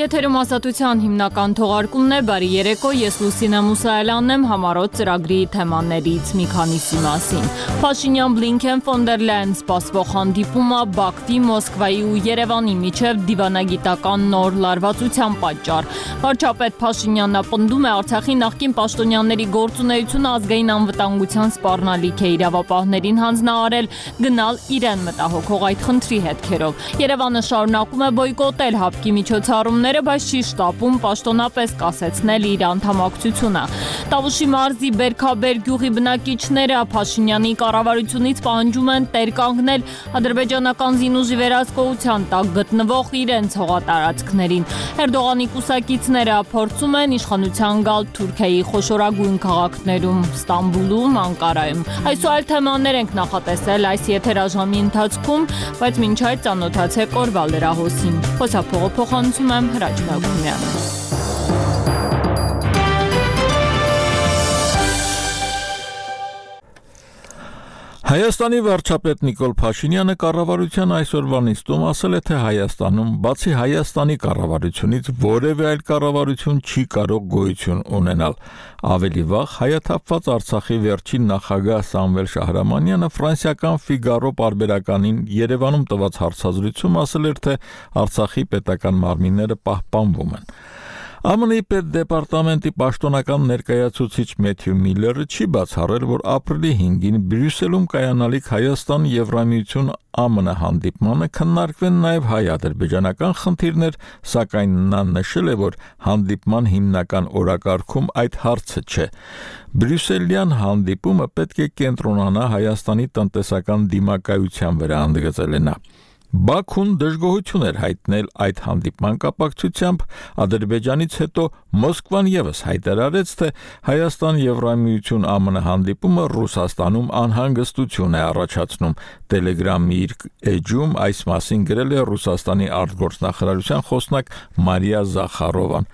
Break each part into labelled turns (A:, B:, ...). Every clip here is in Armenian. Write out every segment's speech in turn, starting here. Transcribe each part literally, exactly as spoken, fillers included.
A: Եթերում ազատության հիմնական թողարկումն է, բարի երեկո, ես Լուսինե Մուսայելյանն եմ, համառոտ ծրագրի թեմաներից մի քանիսի մասին։ Փաշինյան-Բլինքեն ֆոն դեր Լայան սպասվող հանդիպումը Բաքվի, Մոսկվայի ու Երևանի միջև դիվանագիտական նոր լարվածության պատճառ։ Վարչապետ Փաշինյանն պնդում է Արցախի նախկին պաշտոնյաների գործունեությունը ազգային անվտանգության սպառնալիք է, իրավապահներին հանձնարարել գնալ իրեն մտահոգող այդ խնդրի հետքերով։ Երևանը շարունակում է բոյկոտել ՀԱՊԿ-ի միջոցառումները, բայց չի շտապում պաշտոնապես կասեցնել իր անդամակցությունը։ Տավուշի մարզի Բերքաբեր գյուղի բնակիչները Փաշինյանի կառավարությունից պահանջում են տեր կանգնել ադրբեջանական զինուժի վերահսկողության տակ գտնվող իրենց հողատարածքներին։ Էրդողանի կուսակիցները փորձում են իշխանության գալ Թուրքիայի խոշորագույն քաղաքներում Ստամբուլում, Անկարայում։ Այսօր այլ թեմաներ ենք նախատեսել այս եթերաժամի ընթացքում, բայց մինչ այդ ծանոթացեք օրվա լրահոսին։ Խոսափողը փոխանցում եմ Հրաչ Մելքումյանը։
B: Հայաստանի վարչապետ Նիկոլ Փաշինյանը կառավարության այսօրվա նիստում ասել է, թե Հայաստանում, բացի Հայաստանի կառավարությունից, որևէ այլ կառավարություն չի կարող գոյություն ունենալ։ Ավելի վաղ հայաթափված Արցախի վերջին նախագահ Սամվել Շահրամանյանը ֆրանսիական Ֆիգարո պարբերականին Երևանում տված հարցազրույցում ասել էր, թե Արցախի պետական մարմինները պահպանվում են։ ԱՄՆ-ի պետդեպարտամենտի պաշտոնական ներկայացուցիչ Մեթյու Միլլերը չի բացառել, որ ապրիլի հինգին Բրյուսելում կայանալիք Հայաստան-Եվրամիություն ԱՄՆ հանդիպմանը քննարկվեն նաև հայ-ադրբեջանական խնդիրներ, սակայն նա նշել է, որ հանդիպման հիմնական օրակարգում այդ հարցը չէ։ Բրյուսելյան հանդիպումը պետք է կենտրոնանա Հայաստանի տնտեսական դիմակայության վրա, ընդգծել է նա։ Բաքուն դժգոհություն էր հայտնել այդ հանդիպման կապակցությամբ, Ադրբեջանից հետո Մոսկվան ևս հայտարարեց, թե Հայաստան-Եվրամիություն ԱՄՆ հանդիպումը Ռուսաստանում անհանգստություն է առաջացնում։ Տելեգրամի իր էջում այս մասին գրել է Ռուսաստանի արտգործնախարարության խոսնակ Մարիա Զախարովան։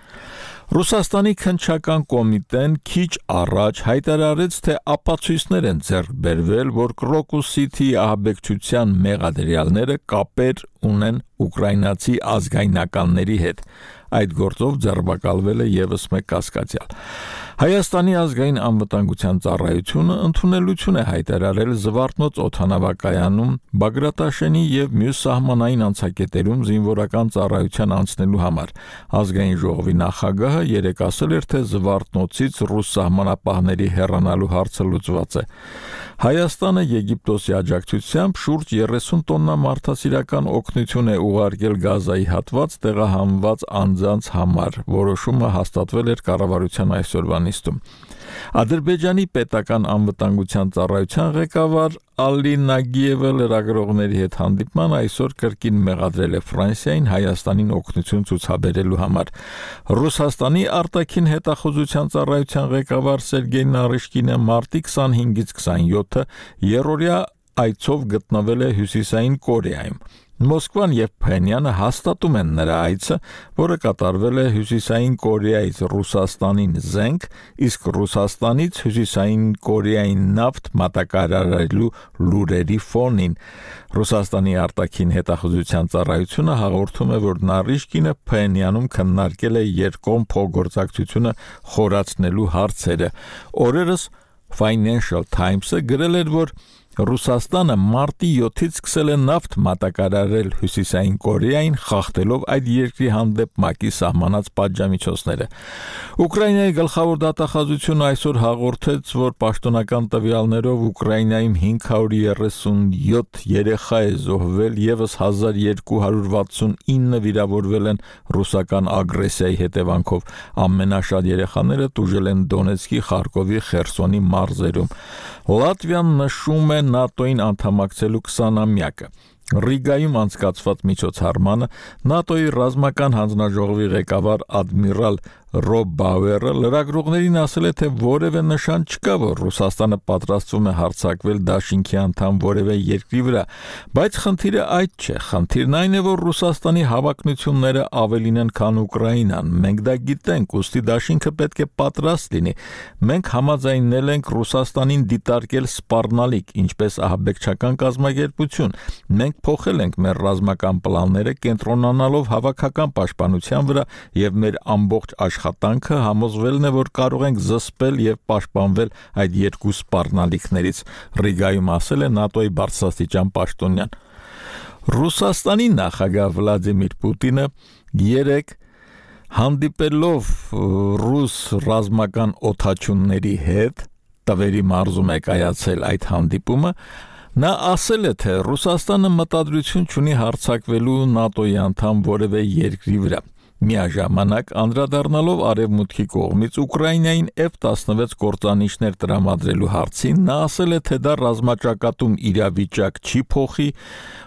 B: Ռուսաստանի քննչական կոմիտեն քիչ առաջ հայտարարեց, թե ապացույցներ են ձեռք բերվել, որ Crocus City ահաբեկչության մեղադրյալները կապեր ունեն ուկրաինացի ազգայնականների հետ։ Այդ գործով ձերբակալվել է ևս մեկ կասկածյալ։ Հայաստանի ազգային անվտանգության ծառայությունը ընդունելություն է հայտարարել Զվարթնոց օդանավակայանում Բագրատաշենի եւ մյուս սահմանային անցակետերում զինվորական ծառայության անցնելու համար։ Ազգային ժողովի նախագահը երեկ ասել էր, թե Զվարթնոցից ռուս սահմանապահների հեռանալու հարցը լուծված է։ Հայաստանը Եգիպտոսի աջակցությամբ շուրջ երեսուն տոննա մարդասիրական օգնություն է ուղարկել Գազայի հատված տեղահանված անձանց համար։ Որոշումը հաստատվել էր կառավարության այսօրվա նիստում։ Ադրբեջանի պետական անվտանգության ծառայության ղեկավար Ալի Նագիևը լրագրողների հետ հանդիպման այսօր կրկին մեղադրել է Ֆրանսիային Հայաստանին օգնություն ցուցաբերելու համար։ Ռուսաստանի արտաքին հետախուզության ծառայության ղեկավար Սերգեյ Նարիշկինը մարտի քսանհինգից քսանյոթը երրորդյա այցով գտնվել է Հյուսիսային Կորեայում։ Մոսկվան եւ Փենյանը հաստատում են նրա այցը, որը կատարվել է Հյուսիսային Կորեայից Ռուսաստանին զենք, իսկ Ռուսաստանից Հյուսիսային Կորեային նավթ մատակարարելու լուրերի ֆոնին։ Ռուսաստանի արտաքին հետախուզության ծառայությունը հաղորդում է, որ Նարիշկինը Փենյանում քննարկել է երկկողմ փոխգործակցությունը խորացնելու հարցերը։ Օրերս Financial Times-ը գրել էր, որ Ռուսաստանը մարտի յոթից սկսել է նավթ մատակարարել Հյուսիսային Կորեային, խախտելով այդ երկրի հանդեպ ՄԱԿ-ի սահմանած պատժամիջոցները։ Ուկրաինայի գլխավոր դատախազությունը այսօր հաղորդեց, որ պաշտոնական տվյալներով Ուկրաինայում հինգ հարյուր երեսունյոթ երեխա է զոհվել, ևս հազար երկու հարյուր վաթսունինը վիրավորվել են ռուսական ագրեսիայի հետևանքով։ Ամենաշատ երեխաները տուժել են Դոնեցկի, Խարկովի, Խերսոնի մարզերում։ Լատվիան նշում է ՆԱՏՕ-ին անդամակցելու քսանամյակը։ Ռիգայում անցկացված միջոցառմանը ՆԱՏՕ-ի ռազմական հանձնաժողովի ղեկավար ադմիրալ Ռոբ Բաուերը լրագրողներին ասել է, թե որևէ նշան չկա, որ Ռուսաստանը պատրաստվում է հարձակվել դաշինքի անդամ որևէ երկրի վրա, բայց խնդիրը այդ չէ։ Խնդիրն այն է, որ Ռուսաստանի հավակնությունները ավելին են, քան Ուկրաինան։ Մենք դա գիտենք, ուստի դաշինքը պետք է պատրաստ լինի։ Մենք համաձայնել ենք Ռուսաստանին դիտարկել սպառնալիք, ինչպես ահաբեկչական կազմակերպություն։ Մենք մենք փոխել ենք մեր ռազմական պլանները, կենտրոնանալով հավաքական պաշտպանության վրա եւ մեր ամբողջ աշխատանքը համոզվելն է, որ կարող ենք զսպել եւ պաշտպանվել այդ երկու սպառնալիքներից, Ռիգայում ասել է ՆԱՏՕ-ի բարձրաստիճան պաշտոնյան։ Ռուսաստանի նախագահ Վլադիմիր Պուտինը երեկ հանդիպելով ռուս ռազմական օդաչունների հետ Տվերի մարզում է կայացել այդ հանդիպումը, նա ասել է, թե Ռուսաստանը մտադրություն չունի հարձակվելու ՆԱՏՕ-ի անդամ որևէ երկրի վրա։ Միաժամանակ անդրադառնալով արևմուտքի կողմից Ուկրաինային F տասնվեց կործանիչներ տրամադրելու հարցին, նա ասել է, թե դա ռազմաճակատում իրավիճակ չի փոխի,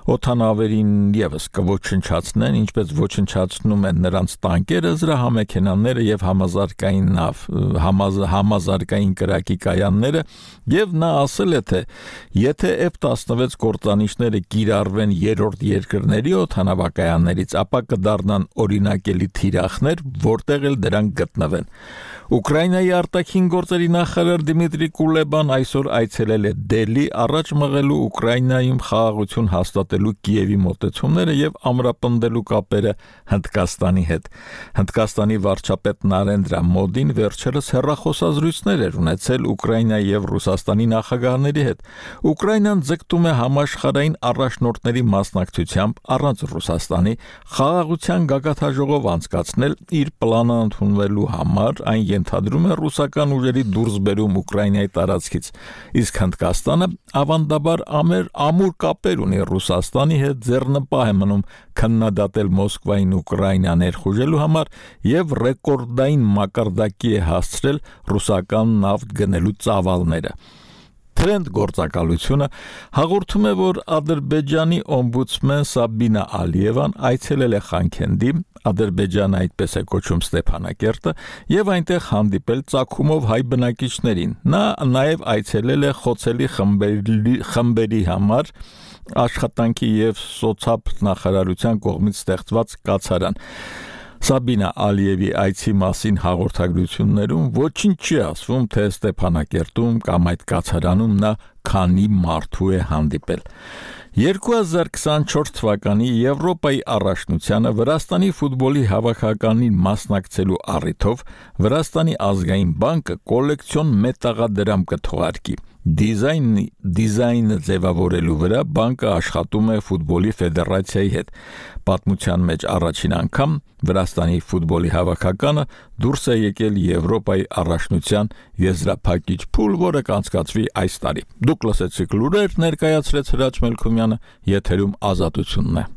B: օդանավերին եւս կոչնչացնեն, ինչպես ոչնչացնում են նրանց տանկերը, զրահամեքենաները եւ համազարգային նավ, համազ, համազարգային կրակի կայանները, եւ նա ասել է, թե եթե F տասնվեց կործանիչները կիրառվեն երրորդ երկրների օդանավակայաններից, ապա կդառնան օրինակելի թիրախներ, որտեղ էլ դրանք գտնվեն։ Ուկրաինայի արտաքին գործերի նախարար Դիմիտրի Կուլեբան այսօր այցելել է Դելի, առաջ մղելու Ուկրաինայում խաղաղություն հաստատելու Կիևի մոտեցումները եւ ամրապնդելու կապերը Հնդկաստանի հետ։ Հնդկաստանի վարչապետ Նարենդրա Մոդին վերջերս հեռախոսազրույցներ էր ունեցել Ուկրաինայի եւ Ռուսաստանի նախագահների հետ։ Ուկրաինան ձգտում է համաշխարհային առաջնորդների մասնակցությամբ առանց Ռուսաստանի խաղաղության գագաթաժողով անցկացնել իր պլանը ընդունվելու համար, այն ենթադրում է ռուսական ուժերի դուրսբերում Ուկրաինայի տարածքից, իսկ Հնդկաստանը ավանդաբար ամեր ամուր կապեր ունի Ռուսաստանի հետ, ձեռնպահ է մնում քննադատել Մոսկվային Ուկրաինա ներխուժելու համար եւ ռեկորդային մակարդակի է հասցրել ռուսական նավթ գնելու ծավալները։ Թրենդ գործակալությունը հաղորդում է, որ Ադրբեջանի օմբուդսմեն Սաբինա Ալիևան այցելել է Խանքենդի, Ադրբեջանը այդպես է կոչում Ստեփանակերտը, եւ այնտեղ հանդիպել ծագումով հայ բնակիչներին։ Նա նաեւ այցելել է խոցելի խմբերի, խմբերի համար աշխատանքի եւ սոցիալ նախարարության կողմից ստեղծված կացարան։ Սաբինա Ալիևի այցի մասին հաղորդագրություններում ոչինչ չի ասվում, թե Ստեփանակերտում կամ այդ կացարանում նա քանի մարդու է հանդիպել։ երկու հազար քսանչորս թվականի Եվրոպայի առաջնությանը Վրաստանի ֆուտբոլի հավաքականին մասնակցելու առիթով Վրաստանի ազգային բանկը կոլեկցիոն մետաղադրամ կթողարկի։ Դիզայնի դիզայնը ձևավորելու վրա բանկը աշխատում է ֆուտբոլի ֆեդերացիայի հետ։ Պատմության մեջ առաջին անգամ Վրաստանի ֆուտբոլի հավաքականը դուրս է եկել Եվրոպայի առաջնության եզրափակիչ փուլ, որը կանցկացվի այս տարի։ Դուք լսեցիք լուրեր, ներկայացրեց Հրաչ Մելքումյանը, եթերում Ազատությունն է։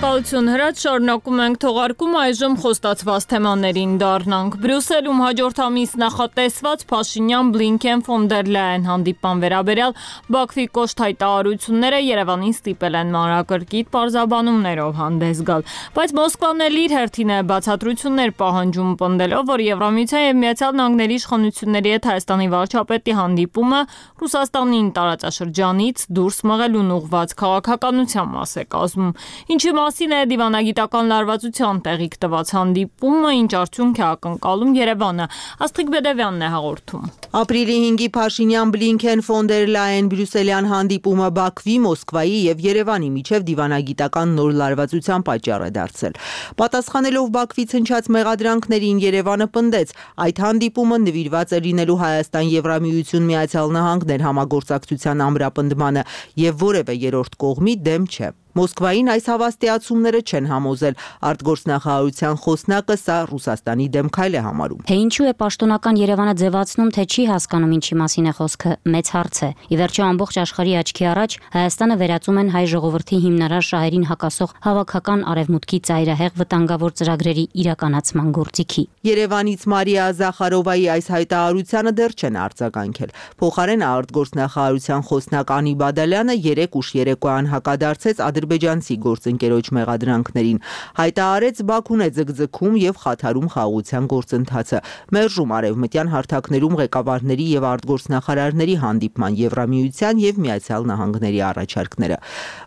A: Շնորհակալություն Հրաչ, շարունակում ենք թողարկում, այժմ խոստացված թեմաներին դառնանք։ Բրյուսելում հաջորդ ամիս նախատեսված Փաշինյան-Բլինքեն ֆոն դեր Լայեն հանդիպման վերաբերյալ Բաքվի կոշտ հայտարարությունները Երևանին ստիպել են մանրակրկիտ պարզաբանումներով հանդես գալ։ Բայց Մոսկվան էլ իր հերթին է բացատրություններ պահանջում, պնդելով, որ Եվրամիության եւ Միացյալ Նահանգների իշխանությունների հետ Հայաստանի վարչապետի հանդիպումը Ռուսաստանին տարածաշրջանից դուրս մղելուն ուղղված քաղաքականության մաս է կազմում։ Ինչի մասին է դիվանագիտական լարվածության տեղիք տված հանդիպումը, ինչ արդյունք է ակնկալում Երևանը։ Աստղիկ Բեդևյանն է հաղորդում։
C: Ապրիլի հինգի Փաշինյան-Բլինքեն ֆոն դեր Լայեն բրյուսելյան հանդիպումը Բաքվի, Մոսկվայի եւ Երևանի միջև դիվանագիտական նոր լարվածության պատճառ է դարձել։ Պատասխանելով Բաքվից հնչած մեղադրանքներին, Երևանը պնդեց, այդ հանդիպումը նվիրված է լինելու Հայաստան-Եվրամիություն Միացյալ Նահանգներ համագործակցության ամրապնդմանը եւ որևէ երրորդ կողմի դեմ չէ։ Մոսկվային այս հավաստիացումները չեն համոզել, արտգործնախարարության խոսնակը սա Ռուսաստանի դեմ քայլ է համարում։
D: Թե ինչու է պաշտոնական Երևանը ձևացնում, թե չի հասկանում ինչի մասին է խոսքը, մեծ հարց է։ Ի վերջո ամբողջ աշխարհի աչքի առաջ Հայաստանը վերածում են հայ ժողովրդի հիմնարար շահերին հակասող հավաքական արևմուտքի ծայրահեղ վտանգավոր ծրագրերի իրականացման գործիքի։
C: Երևանից Մարիա Զախարովայի այս հայտարարությանը դեռ չեն արձագանքել։ Փոխարեն արտգործնախարարության խոսնակ Անի Բադալյանը երեք ուշ երեկոյան հակադարձեց ադրբեջանցի գործընկերոջ մեղադրանքներին։ Հայտարարեց Բաքուն է ձգձգում եւ խաթարում խաղաղության գործընթացը, մերժում արևմտյան հարթակներում ղեկավարների եւ արտգործնախարարների հանդիպման Եվրամիության եւ Միացյալ Նահանգների առաջարկները։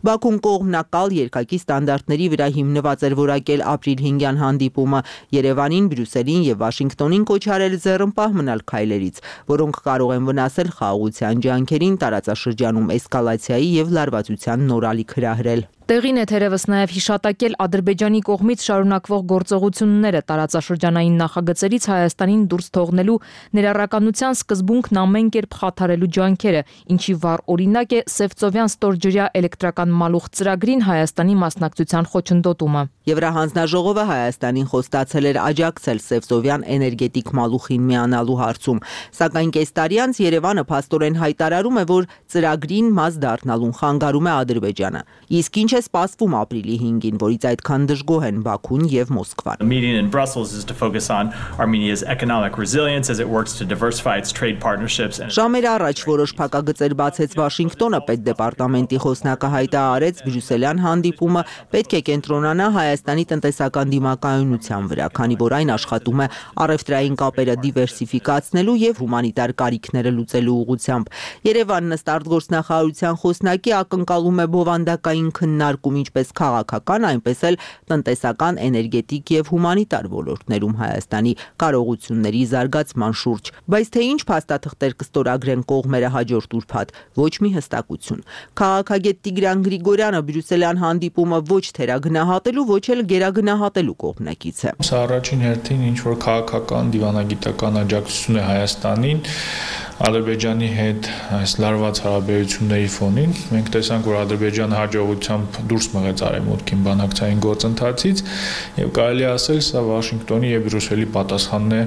C: Բաքուն կողմնակալ երկակի ստանդարտների վրա հիմնված էր որակել ապրիլ հինգյան հանդիպումը, Երևանին, Բրյուսելին եւ Վաշինգտոնին կոչ արել ձեռնպահ մնալ քայլերից, որոնք կարող են վնասել խաղաղության ջանքերին, տարածաշրջանում էսկալացիայի եւ լարվածության նոր ալիք հրահրել։
E: Տեղին է թերևս նաև հիշատակել Ադրբեջանի կողմից շարունակվող գործողությունները տարածաշրջանային նախագծերից Հայաստանին դուրս թողնելու ներառականության սկզբունքն ամեն կերպ խաթարելու ջանքերը, ինչի վառ օրինակ է Սևծովյան ստորջրյա էլեկտրական մալուխ ծրագրին Հայաստանի մասնակցության խոչընդոտումը։
C: Եվրահանձնաժողովը Հայաստանին խոստացել էր աջակցել Սևծովյան էներգետիկ մալուխին միանալու հարցում, սակայն կես տարի անց Երևանը փաստորեն հայտարարում է, որ ծրագրին մաս դառնալուն խանգարում է Ադրբեջանը։ Իսկ ինչ է սպասվում ապրիլի հինգին, որից այդքան դժգոհ են Բաքուն եւ Մոսկվան։
F: The meeting in Brussels is to focus on Armenia's economic resilience as it works to diversify its trade partnerships.
C: Ժամեր առաջ որոշ փակագծեր բացեց Վաշինգտոնը, պետդեպարտամենտի խոսնակը հայտարարեց Բրյուսելյան հանդիպումը պետք է կենտրոնանա Հայաստանի տնտեսական դիմակայունության վրա, քանի որ այն աշխատում է առևտրային կապերը դիվերսիֆիկացնելու եւ հումանիտար կարիքները լուծելու ուղղությամբ։ Երևանն ըստ արտգործնախարարության խոսնակի ակնկալում է բովանդակային քննարկում ինչպես քաղաքական, այնպես էլ տնտեսական, էներգետիկ եւ հումանիտար ոլորտներում Հայաստանի կարողությունների զարգացման շուրջ։ Բայց թե ինչ փաստաթղթեր կստորագրեն կողմերը հաջորդ ուրբաթ, ոչ մի հստակություն։ Քաղաքագետ Տիգրան Գրիգորյանը Բրյուսելյան հանդիպումը ոչ թերագնահատելու, ոչ էլ գերագնահատելու կողմնակից է։
G: Սա առաջին հերթին ինչ որ քաղաքական դիվանագիտական աջակցություն է Հայաստանին Ադրբեջանի հետ այս լարված հարաբերությունների ֆոնին։ Մենք տեսանք, որ Ադրբեջանը հաջողությամբ դուրս մղեց արևմուտքին բանակցային գործընթացից եւ կարելի ասել, սա Վաշինգտոնի եւ Բրյուսելի պատասխանն է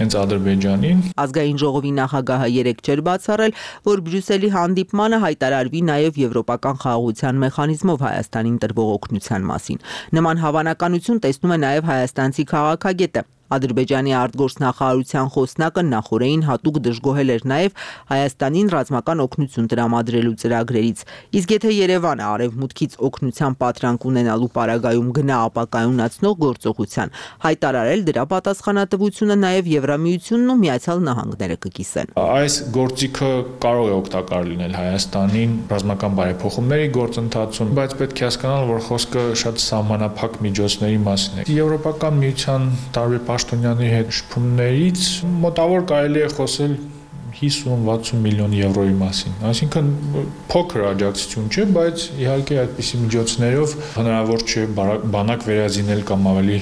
G: հենց Ադրբեջանին։
C: Ազգային ժողովի նախագահը երեկ չէր բացառել, որ Բրյուսելի հանդիպմանը հայտարարվի նաեւ եվրոպական խաղաղության մեխանիզմով Հայաստանին տրվող օգնության մասին։ Նման հավանականություն տեսնում է նաեւ հայաստանցի քաղաքագետը։ Ադրբեջանի արտգործնախարարության խոսնակը նախորդին հատուկ դժգոհել էր նաև Հայաստանին ռազմական օգնություն տրամադրելու ծրագրերից։ Իսկ եթե Երևանը արևմուտքից օգնության պատրանք ունենալու պարագայում գնա ապակայունացնող գործողության, հայտարարել դրա պատասխանատվությունը նաև Եվրամիությունն ու Միացյալ Նահանգները կկիսեն։
G: Այս գործիքը կարող է օգտակար լինել Հայաստանին ռազմական բարեփոխումների գործընթացում, բայց պետք է հասկանալ, որ խոսքը շատ սահմանափակ միջոցների մասին է։ Եվրոպական միության տարբեր պաշտոնյաների հետ շփումներից մոտավոր կարելի է խոսել հիսուն-վաթսուն միլիոն եվրոյի մասին։ Այսինքն փոքր աջակցություն չէ, բայց իհարկե այդպիսի միջոցներով հնարավոր չէ բանակ վերազինել կամ ավելի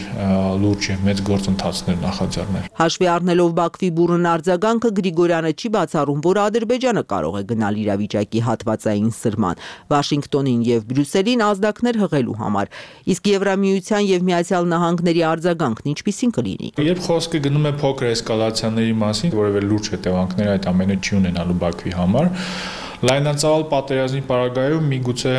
G: լուրջ եւ մեծ գործընթացներ նախաձեռնել։
C: Հաշվի առնելով Բաքվի բուրըն արձագանքը Գրիգորյանը չի բացառում, որ Ադրբեջանը կարող է գնալ իրավիճակի հատվածային սրման, Վաշինգտոնին եւ Բրյուսելին ազդակներ հղելու համար։ Իսկ Եվրամիության եւ Միացյալ Նահանգների արձագանքն ինչպիսին կլինի։
G: Երբ խոսքը գնում է փոքր էսկալացիաների մասին, որևէ լուրջ հետևանքներ այդ ամենը չի ունենալու Բաքվի համար, լայնածավալ պատերազմի պարագայում միգուցե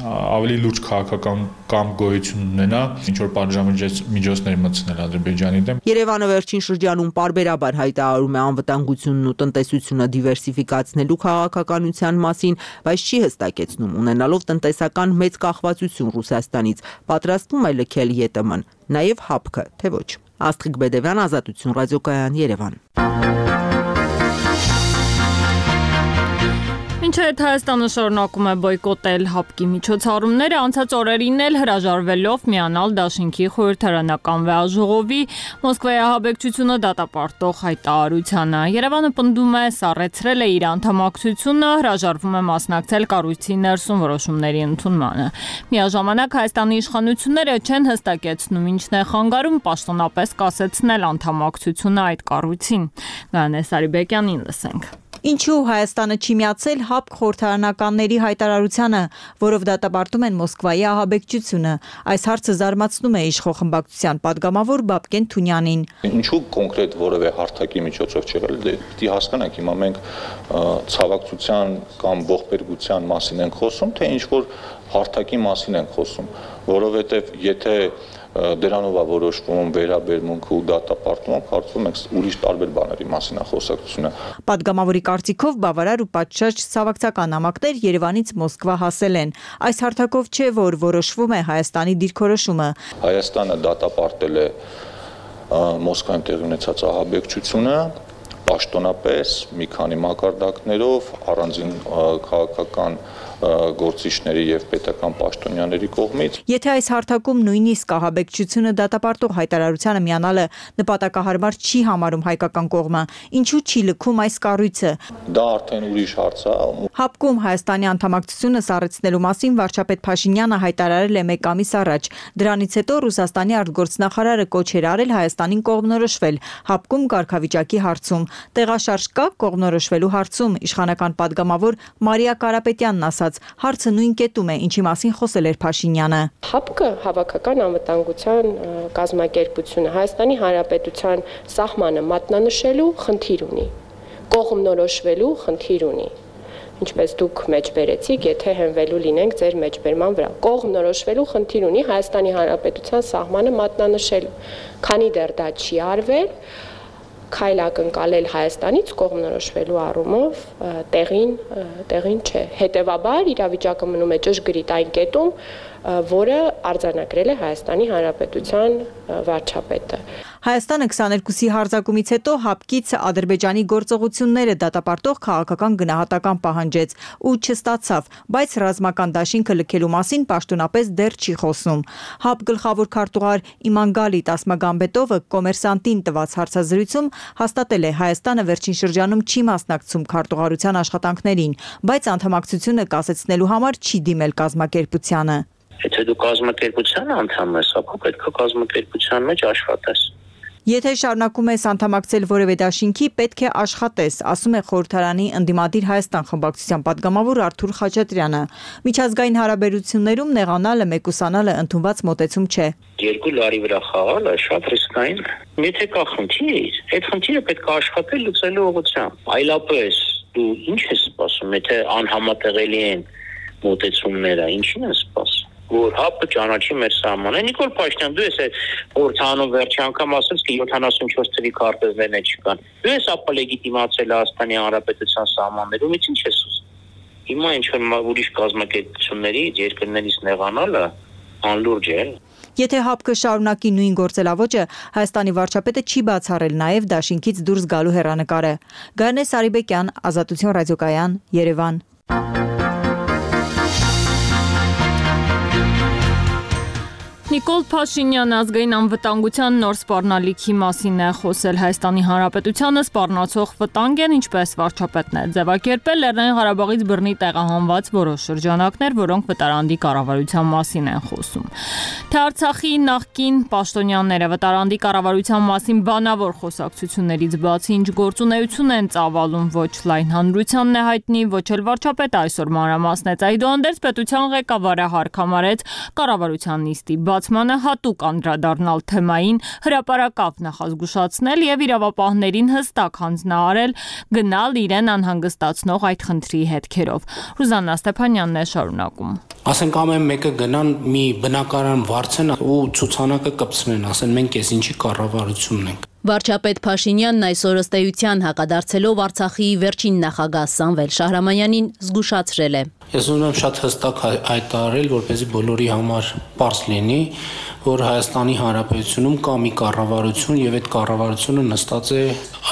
G: ավելի լուրջ քաղաքական կամ գոյություն ունենա ինչ որ պատժամիջոցներ մտցնել Ադրբեջանի դեմ։
C: Երևանը վերջին շրջանում պարբերաբար հայտարարում է անվտանգությունն ու տնտեսությունը դիվերսիֆիկացնելու քաղաքականության մասին, բայց չի հստակեցնում ունենալով տնտեսական մեծ կախվածություն Ռուսաստանից, պատրաստվում է լքել ԵՏՄ-ն, նաև ՀԱՊԿ-ը, թե ոչ։ Աստղիկ Բեդևյան, Ազատություն ռադիոկայան, Երևան։
A: Մինչև Հայաստանը շարունակում է բոյկոտել ՀԱՊԿ-ի միջոցառումները, անցած օրերին էլ հրաժարվելով միանալ Դաշինքի խորհրդարանական վեաժողովի Մոսկվայի ահաբեկչությունը դատապարտող հայտարարությանը։ Երևանը պնդում է սառեցրել է իր անդամակցությունը, հրաժարվում է մասնակցել կառույցի ներսում որոշումների ընդունմանը։ Միաժամանակ Հայաստանի իշխանությունները չեն հստակեցնում ինչն է խանգարում պաշտոնապես կասեցնել անդամակցությունը այդ կառույցին։ Գայանե Սարիբեկյանին լսենք։
H: Ինչու Հայաստանը չի միացել ՀԱՊԿ խորհրդարանականների հայտարարությանը, որով դատապարտում են Մոսկվայի ահաբեկչությունը։ Այս հարցը զարմացնում է իշխող խմբակցության падգամավոր Բաբկեն Թունյանին։
I: Ինչու կոնկրետ որևէ հարթակի միջոցով չի եղել, դե հասկանանք, հիմա մենք ցավակցության կամ ողբերգության մասին ենք խոսում, թե ինչ որ հարթակի մասին ենք խոսում, որովհետև եթե դրանով է որոշվում վերաբերմունքը ու դատապարտումը, կարծում ենք ուրիշ տարբեր բաների մասին է խոսակցությունը։
H: Պատգամավորի կարծիքով բավարար ու պատշաճ ցավակցական նամակներ Երևանից Մոսկվա հասել են։ Այս հարթակով չէ, որ որոշվում է Հայաստանի դիրքորոշումը։
I: Հայաստանը դատապարտել է Մոսկվայում տեղի ունեցած ահաբեկչությունը պաշտոնապես մի քանի մակարդակներով առանձին քաղաքական գործիչների եւ պետական պաշտոնյաների կողմից։
H: Եթե այս հարթակում նույնիսկ ահաբեկչությունը դատապարտող հայտարարությանը միանալը նպատակահարմար չի համարում հայկական կողմը, ինչու չի լքում այս կառույցը։
I: Դա արդեն ուրիշ հարց է։
H: Հապկում Հայաստանի անդամակցությունը սառեցնելու մասին վարչապետ Փաշինյանը հայտարարել է մեկ ամիս առաջ։ Դրանից հետո Ռուսաստանի արտգործնախարարը կոչեր արել Հայաստանին կողմնորոշվել Հապկում կարգավիճակի հարցում։ Տեղաշարժ կա կողմնորոշվելու հարցում, իշխանական падգամավոր Մարիա Կարապետյանն ասաց, հարցը նույն կետում է, ինչի մասին խոսել էր Փաշինյանը։
J: Հապկը հավաքական անվտանգության կազմակերպությունը Հայաստանի Հանրապետության սահմանը մատնանշելու խնդիր ունի, կողմնորոշվելու խնդիր ունի։ Ինչպես դուք մեջբերեցիք, եթե հենվելու լինենք ձեր մեջբերման վրա, կողմնորոշվելու խնդիր ունի Հայաստանի Հանրապետության սահմանը մատնանշելու, քանի դեռ դա չի արվել, քայլ ակնկալել Հայաստանից կողմնորոշվելու առումով տեղին տեղին չէ։ Հետևաբար իրավիճակը մնում է ճշգրիտ այն կետում, որը արձանագրել է Հայաստանի Հանրապետության վարչապետը։
H: Հայաստանը քսաներկուսի հարձակումից հետո Հապկից Ադրբեջանի գործողությունները դատապարտող քաղաքական գնահատական պահանջեց ու չստացավ, բայց ռազմական դաշինքը լքելու մասին պաշտոնապես դեռ չի խոսում։ Հապ գլխավոր քարտուղար Իմանգալի Տասմագամբետովը Կոմերսանտին տված հարցազրույցում հաստատել է Հայաստանը վերջին շրջանում չի մասնակցում քարտուղարության աշխատանքներին, բայց անդամակցությունը կասեցնելու համար չի դիմել կազմակերպությանը։
K: Եթե դու կազմակերպության անդամ ես, ապա պետք է կազմակերպության մեջ աշխատես։
H: Եթե շարունակում ես անդամակցել որևէ դաշինքի, պետք է աշխատես, ասում է Խորհրդարանի ընդդիմադիր Հայաստան խմբակցության падգամավոր Արթուր Խաչատրյանը։ Միջազգային հարաբերություններում նեղանալը, մեկուսանալը ընդունված մոտեցում չէ։
K: Երկու լարի վրա խաղալը շատ ռիսկային է։ Եթե կա խնդիր, այդ խնդիրը պետք է աշխատել լուծելու ուղղությամբ։ Այլապես դու ինչ ես սպասում, եթե անհամատեղելի են մոտեցումները, ինչին ես սպասում։ Որ հապը ճանաչի մեր սահմանը։ Նիկոլ Փաշինյան, դու ես խորհրդանում վերջի անգամ ասես, որ յոթանասունչորս թվի քարտեզներն չկան։ Դու ես ապա լեգիտիմացել Հայաստանի Հանրապետության սահմաններում, ինչ ես ուզում։ Հիմա ինչ որ ուրիշ կազմակերպությունների երկրներից նեղանալը անլուրջ է։
H: Եթե Հապկը շարունակի նույն գործելավոճը, Հայաստանի վարչապետը չի բացառել նաև դաշինքից դուրս գալու հեռանկարը։ Գարնե Սարիբեկյան, Ազատություն ռադիոկայան, Երևան։
A: Նիկոլ Փաշինյանը ազգային անվտանգության նոր սպառնալիքի մասին է խոսել։ Հայաստանի Հանրապետությանը սպառնացող վտանգ են, ինչպես վարչապետն է ձևակերպել, Լեռնային Ղարաբաղից բռնի տեղահանված որոշ շրջանակներ, որոնք վտարանդի կառավարության մասին են խոսում։ Թե Արցախի նախկին պաշտոնյաները վտարանդի կառավարության մասին բանավոր խոսակցություններից բացի ինչ գործունեություն են ծավալում, ոչ լայն հանրությանն է հայտնի, ոչ էլ վարչապետը այսօր մանրամասնեց։ Այդուհանդերձ պետության ղեկավարը հարկամարեց կառավարության նիստի բացմանը հատուկ անդրադառնալ թեմային, հրապարակավ նախազգուշացնել եւ իրավապահներին հստակ հանձնարարել գնալ իրեն անհանգստացնող այդ խնդրի հետքերով։ Ռուզաննա Ստեփանյանն է շարունակում։
L: Ասենք ամեն մեկը գնան մի բնակարան վարձեն ու ցուցանակը կպցնեն, ասեն մենք էս ինչի կառավարությունն ենք։
M: Վարչապետ Փաշինյանն այսօր ըստ էության հակադարձելով Արցախի վերջին նախագահ Սամվել Շահրամանյանին զգուշացրել է։
L: Ես ուզում եմ շատ հստակ հայտարարել, որպեսզի բոլորի համար պարզ լինի, որ Հայաստանի Հանրապետությունում կա մի կառավարություն եւ այդ կառավարությունը նստած է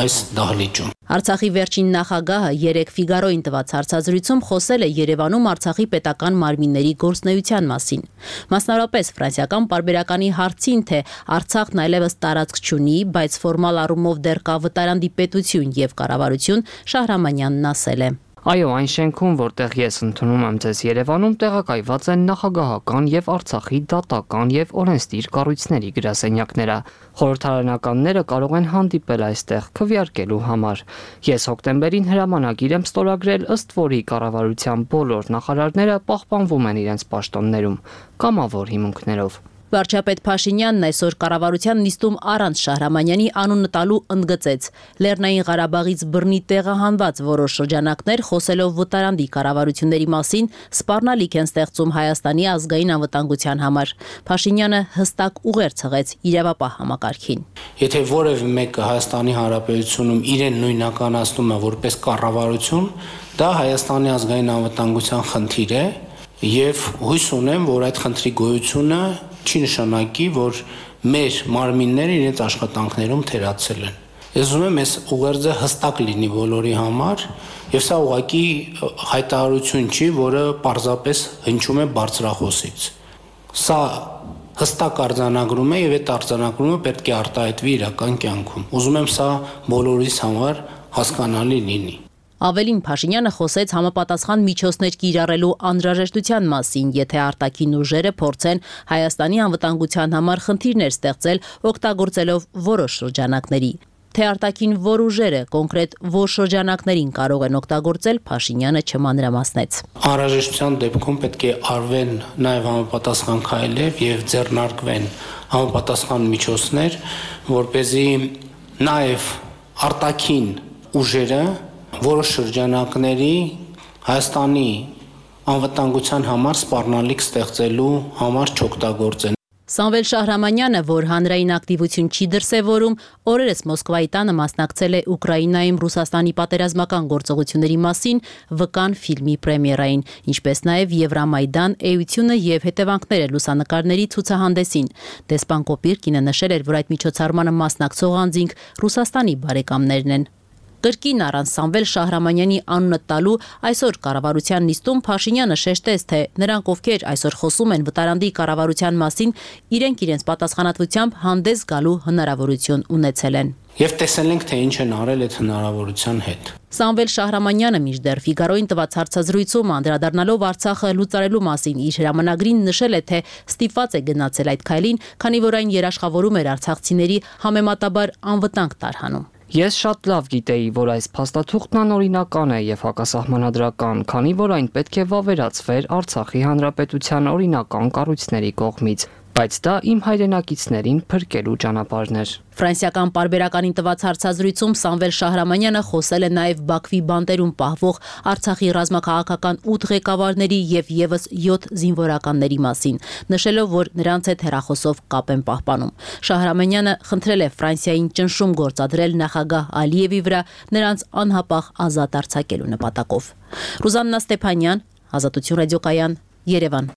L: այս դահլիճում։
M: Արցախի վերջին նախագահը երեկ Ֆիգարոին տված հարցազրույցում խոսել է Երևանում Արցախի պետական մարմինների գործունեության մասին։ Մասնավորապես ֆրանսիական պարբերականի հարցին, թե Արցախն այլևս տարածք չունի, բայց ֆորմալ առումով դեռ կա վտարանդի պետություն եւ կառավարություն, Շահրամանյանն ասել է.
N: Այո, այն շենքում, որտեղ ես ընդունում եմ ձեզ Երևանում, տեղակայված են նախագահական եւ Արցախի դատական եւ օրենսդիր կառույցների գրասենյակները։ Խորհրդարանականները կարող են հանդիպել այստեղ քվեարկելու համար։ Ես հոկտեմբերին հրամանագիր եմ ստորագրել, ըստ որի կառավարության բոլոր նախարարները պահպանվում են իրենց պաշտոններում, կամավոր հիմունքներով։
M: Վարչապետ Փաշինյանն այսօր կառավարության նիստում առանց Շահրամանյանի անունը տալու ընդգծեց. Լեռնային Ղարաբաղից բռնի տեղահանված որոշ շրջանակներ խոսելով վտարանդի կառավարությունների մասին սպառնալիք են ստեղծում Հայաստանի ազգային անվտանգության համար։ Փաշինյանը հստակ ուղեր ցղեց իրավապահ համակարգին։
L: Եթե որևէ մեկը Հայաստանի Հանրապետությունում իրեն նույնականացնում է որպես կառավարություն, դա Հայաստանի ազգային անվտանգության խնդիր է եւ հույս ունեմ, որ այդ խնդրի գոյությունը չի նշանակի, որ մեր մարմինները իրենց աշխատանքներում թերացել են։ Ես ուզում եմ այս ուղերձը հստակ լինի բոլորի համար, եւ սա ուղղակի հայտարարություն չի, որը պարզապես հնչում է բարձրախոսից։ Սա հստակ արձանագրում է եւ այդ արձանագրումը պետք է արտահայտվի իրական կյանքում։ Ուզում եմ սա բոլորիս համար հասկանալի լինի։
M: Ավելին Փաշինյանը խոսեց համապատասխան միջոցներ կիրառելու անհրաժեշտության մասին, եթե արտաքին ուժերը փորձեն Հայաստանի անվտանգության համար խնդիրներ ստեղծել, օգտագործելով որոշ շրջանակների։ Թե արտաքին որ ուժերը կոնկրետ որ շրջանակներին կարող են օգտագործել, Փաշինյանը չմանրամասնեց։
L: Անհրաժեշտության դեպքում պետք է արվեն նաև համապատասխան քայլեր եւ ձեռնարկվեն համապատասխան միջոցներ, որպեսզի նաև արտաքին ուժերը որոշ շրջանակների Հայաստանի անվտանգության համար սպառնալիք ստեղծելու համար չօգտագործեն։
M: Սամվել Շահրամանյանը, որ հանրային ակտիվություն չի դրսևորում, օրերս Մոսկվայի տանը մասնակցել է Ուկրաինայում Ռուսաստանի պատերազմական գործողությունների մասին վկան ֆիլմի պրեմիերային, ինչպես նաև Եվրամայդան, էությունը եւ հետևանքները լուսանկարների ցուցահանդեսին։ Դեսպան Կոպիրկինը նշել էր, որ այդ միջոցառմանը մասնակցող անձինք Ռուսաստանի բարեկամներն են։ Կրկին առանց Սամվել Շահրամանյանի անունը տալու այսօր կառավարության նիստում Փաշինյանը շեշտեց, թե նրանք, ովքեր այսօր խոսում են վտարանդի կառավարության մասին, իրենք իրենց պատասխանատվությամբ հանդես գալու հնարավորություն ունեցել են։
L: Եվ տեսել ենք, թե ինչ են արել այդ հնարավորության հետ։
M: Սամվել Շահրամանյանը մինչդեռ Ֆիգարոյին տված հարցազրույցում անդրադառնալով Արցախը լուծարելու մասին իր հրամանագրին նշել է, թե ստիպված է գնացել այդ քայլին, քանի որ այն երաշխավորում էր արցախցիների համեմատաբար անվտանգ տարհանում։
N: Ես շատ լավ գիտեի, որ այս փաստաթուղթն անօրինական է եւ հակասահմանադրական, քանի որ այն պետք է վավերացվեր Արցախի հանրապետության օրինական կառույցների կողմից, բայց դա իմ հայրենակիցներին փրկելու ճանապարհն էր։
M: Ֆրանսիական պարբերականին տված հարցազրույցում Սամվել Շահրամանյանը խոսել է նաև Բաքվի բանտերում պահվող Արցախի ռազմաքաղաքական ութ ղեկավարների եւ եւս յոթ զինվորականների մասին, նշելով, որ նրանց հետ հեռախոսով կապ են պահպանում։ Շահրամանյանը խնդրել է Ֆրանսիային ճնշում գործադրել նախագահ Ալիևի վրա նրանց անհապաղ ազատ արձակելու նպատակով։ Ռուզաննա Ստեփանյան, Ազատություն ռադիոկայան, Երևան։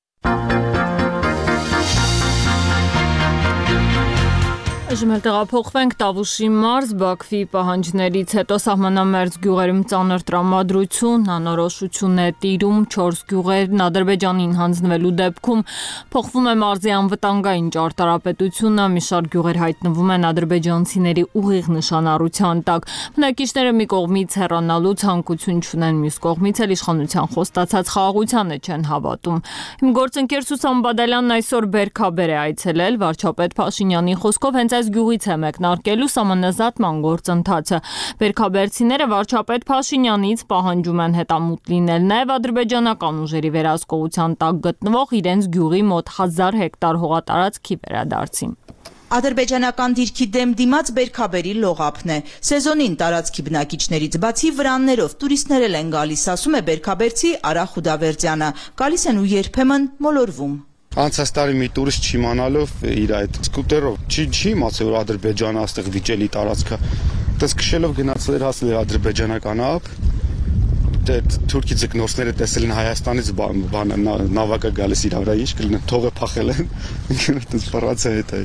A: Այժմ էլ տեղափոխվենք Տավուշի մարզ, Բաքվի պահանջներից հետո սահմանամերձ գյուղերում ծանր տրամադրություն, անորոշություն է տիրում չորս գյուղերն Ադրբեջանին հանձնվելու դեպքում փոխվում է մարզի անվտանգային ճարտարապետությունը, մի շարք գյուղեր հայտնվում են ադրբեջանցիների ուղիղ նշանառության տակ։ Բնակիչները մի կողմից հեռանալու ցանկություն չունեն, մյուս կողմից էլ իշխանության խոստացած խաղաղությանը չեն հավատում։ Իմ գործընկեր Սուսան Բադալյանն այսօր Բերքաբեր է այցելել, վարչապետ Փաշինյանի խոսքով հենց այս գյուղից է մեկնարկելու սահմանազատման գործընթացը։ Բերքաբերցիները վարչապետ Փաշինյանից պահանջում են հետամուտ լինել նաև ադրբեջանական ուժերի վերահսկողության տակ գտնվող իրենց գյուղի մոտ հազար հեկտար հողատարածքի վերադարձին։
O: Ադրբեջանական դիրքի դեմ դիմաց Բերքաբերի լողափն է։ Սեզոնին տարածքի բնակիչներից բացի վրաններով տուրիստներ են գալիս, ասում է Բերքաբերցի Արա Խուդավերդյանը։ Գալիս են ու երբեմն մոլորվում։
P: Անցած տարի մի տուրիստ չիմանալով իր այդ սկուտերով չի չի իմացել, որ Ադրբեջանը այստեղ վիճելի տարածք է։ Դες քշելով գնացել էր հասել էր ադրբեջանական ափ։ Դե թուրքի ձկնորսները տեսել են Հայաստանից բան նավակը գալիս իր վրա, ինչ կլինի, թողը փախել են։ Դες ֆրանսիա հետ է։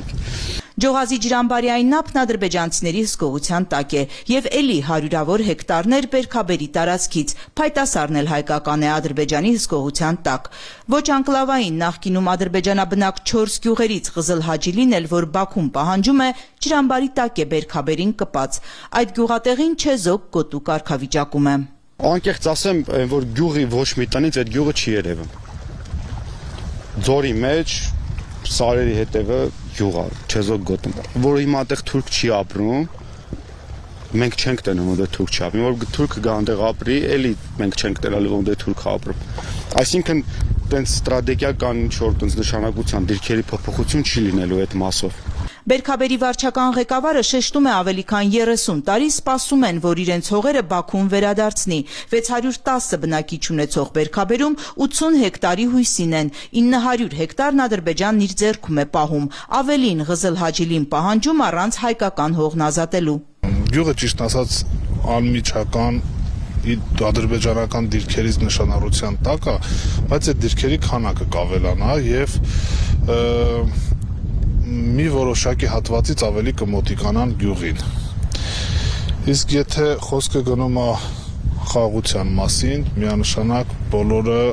O: Ջոհազի ջրամբարյային ափն ադրբեջանցիների հսկողության տակ է եւ էլի հարյուրավոր հեկտարներ Բերքաբերի տարածքից փայտասարն էլ հայկական է Ադրբեջանի հսկողության տակ։ Ոչ անկլավային նախկինում ադրբեջանաբնակ չորս գյուղերից Ղզլ Հաջիլին էլ, որ Բաքուն պահանջում է, ջրամբարի տակ է Բերքաբերին կպած։ Այդ գյուղատեղին չեզոք գոտու կարգավիճակում է։
P: Անկեղծ ասեմ, որ գյուղի ոչ մի տնից այդ գյուղը չի երևում։ Ձորի մեջ սարերի հետևը գյուղ է, չեզոք գոտում, որ հիմա այդտեղ թուրք չի ապրում, մենք չենք տենում, որ թուրք չի ապրում, որ թուրքը գա այնտեղ ապրի, էլի մենք չենք տենալու, որ թուրքը ապրում։ Այսինքն տենց ստրատեգիական ինչ-որ տենց նշանակության դիրքերի փոփոխություն չի լինելու այդ մասով։
O: Բերքաբերի վարչական ղեկավարը շեշտում է ավելի քան երեսուն տարի սպասում են, որ իրենց հողերը Բաքուն վերադարձնի։ վեց հարյուր տասը բնակիչ ունեցող Բերքաբերում ութսուն հեկտարի հույսին են, ինը հարյուր հեկտարն Ադրբեջանն իր ձեռքում է պահում, ավելին Ղզլ Հաջիլին պահանջում առանց հայկական հողն ազատելու։
Q: Գյուղը ճիշտ ասած անմիջական ադրբեջանական դիրքերից նշանառության տակ է, բայց այդ դիրքերի քանակը կավելանա եւ մի որոշակի հատվածից ավելի կմոտիկանան գյուղին։ Իսկ եթե խոսքը գնում է խաղաղության մասին, միանշանակ բոլորը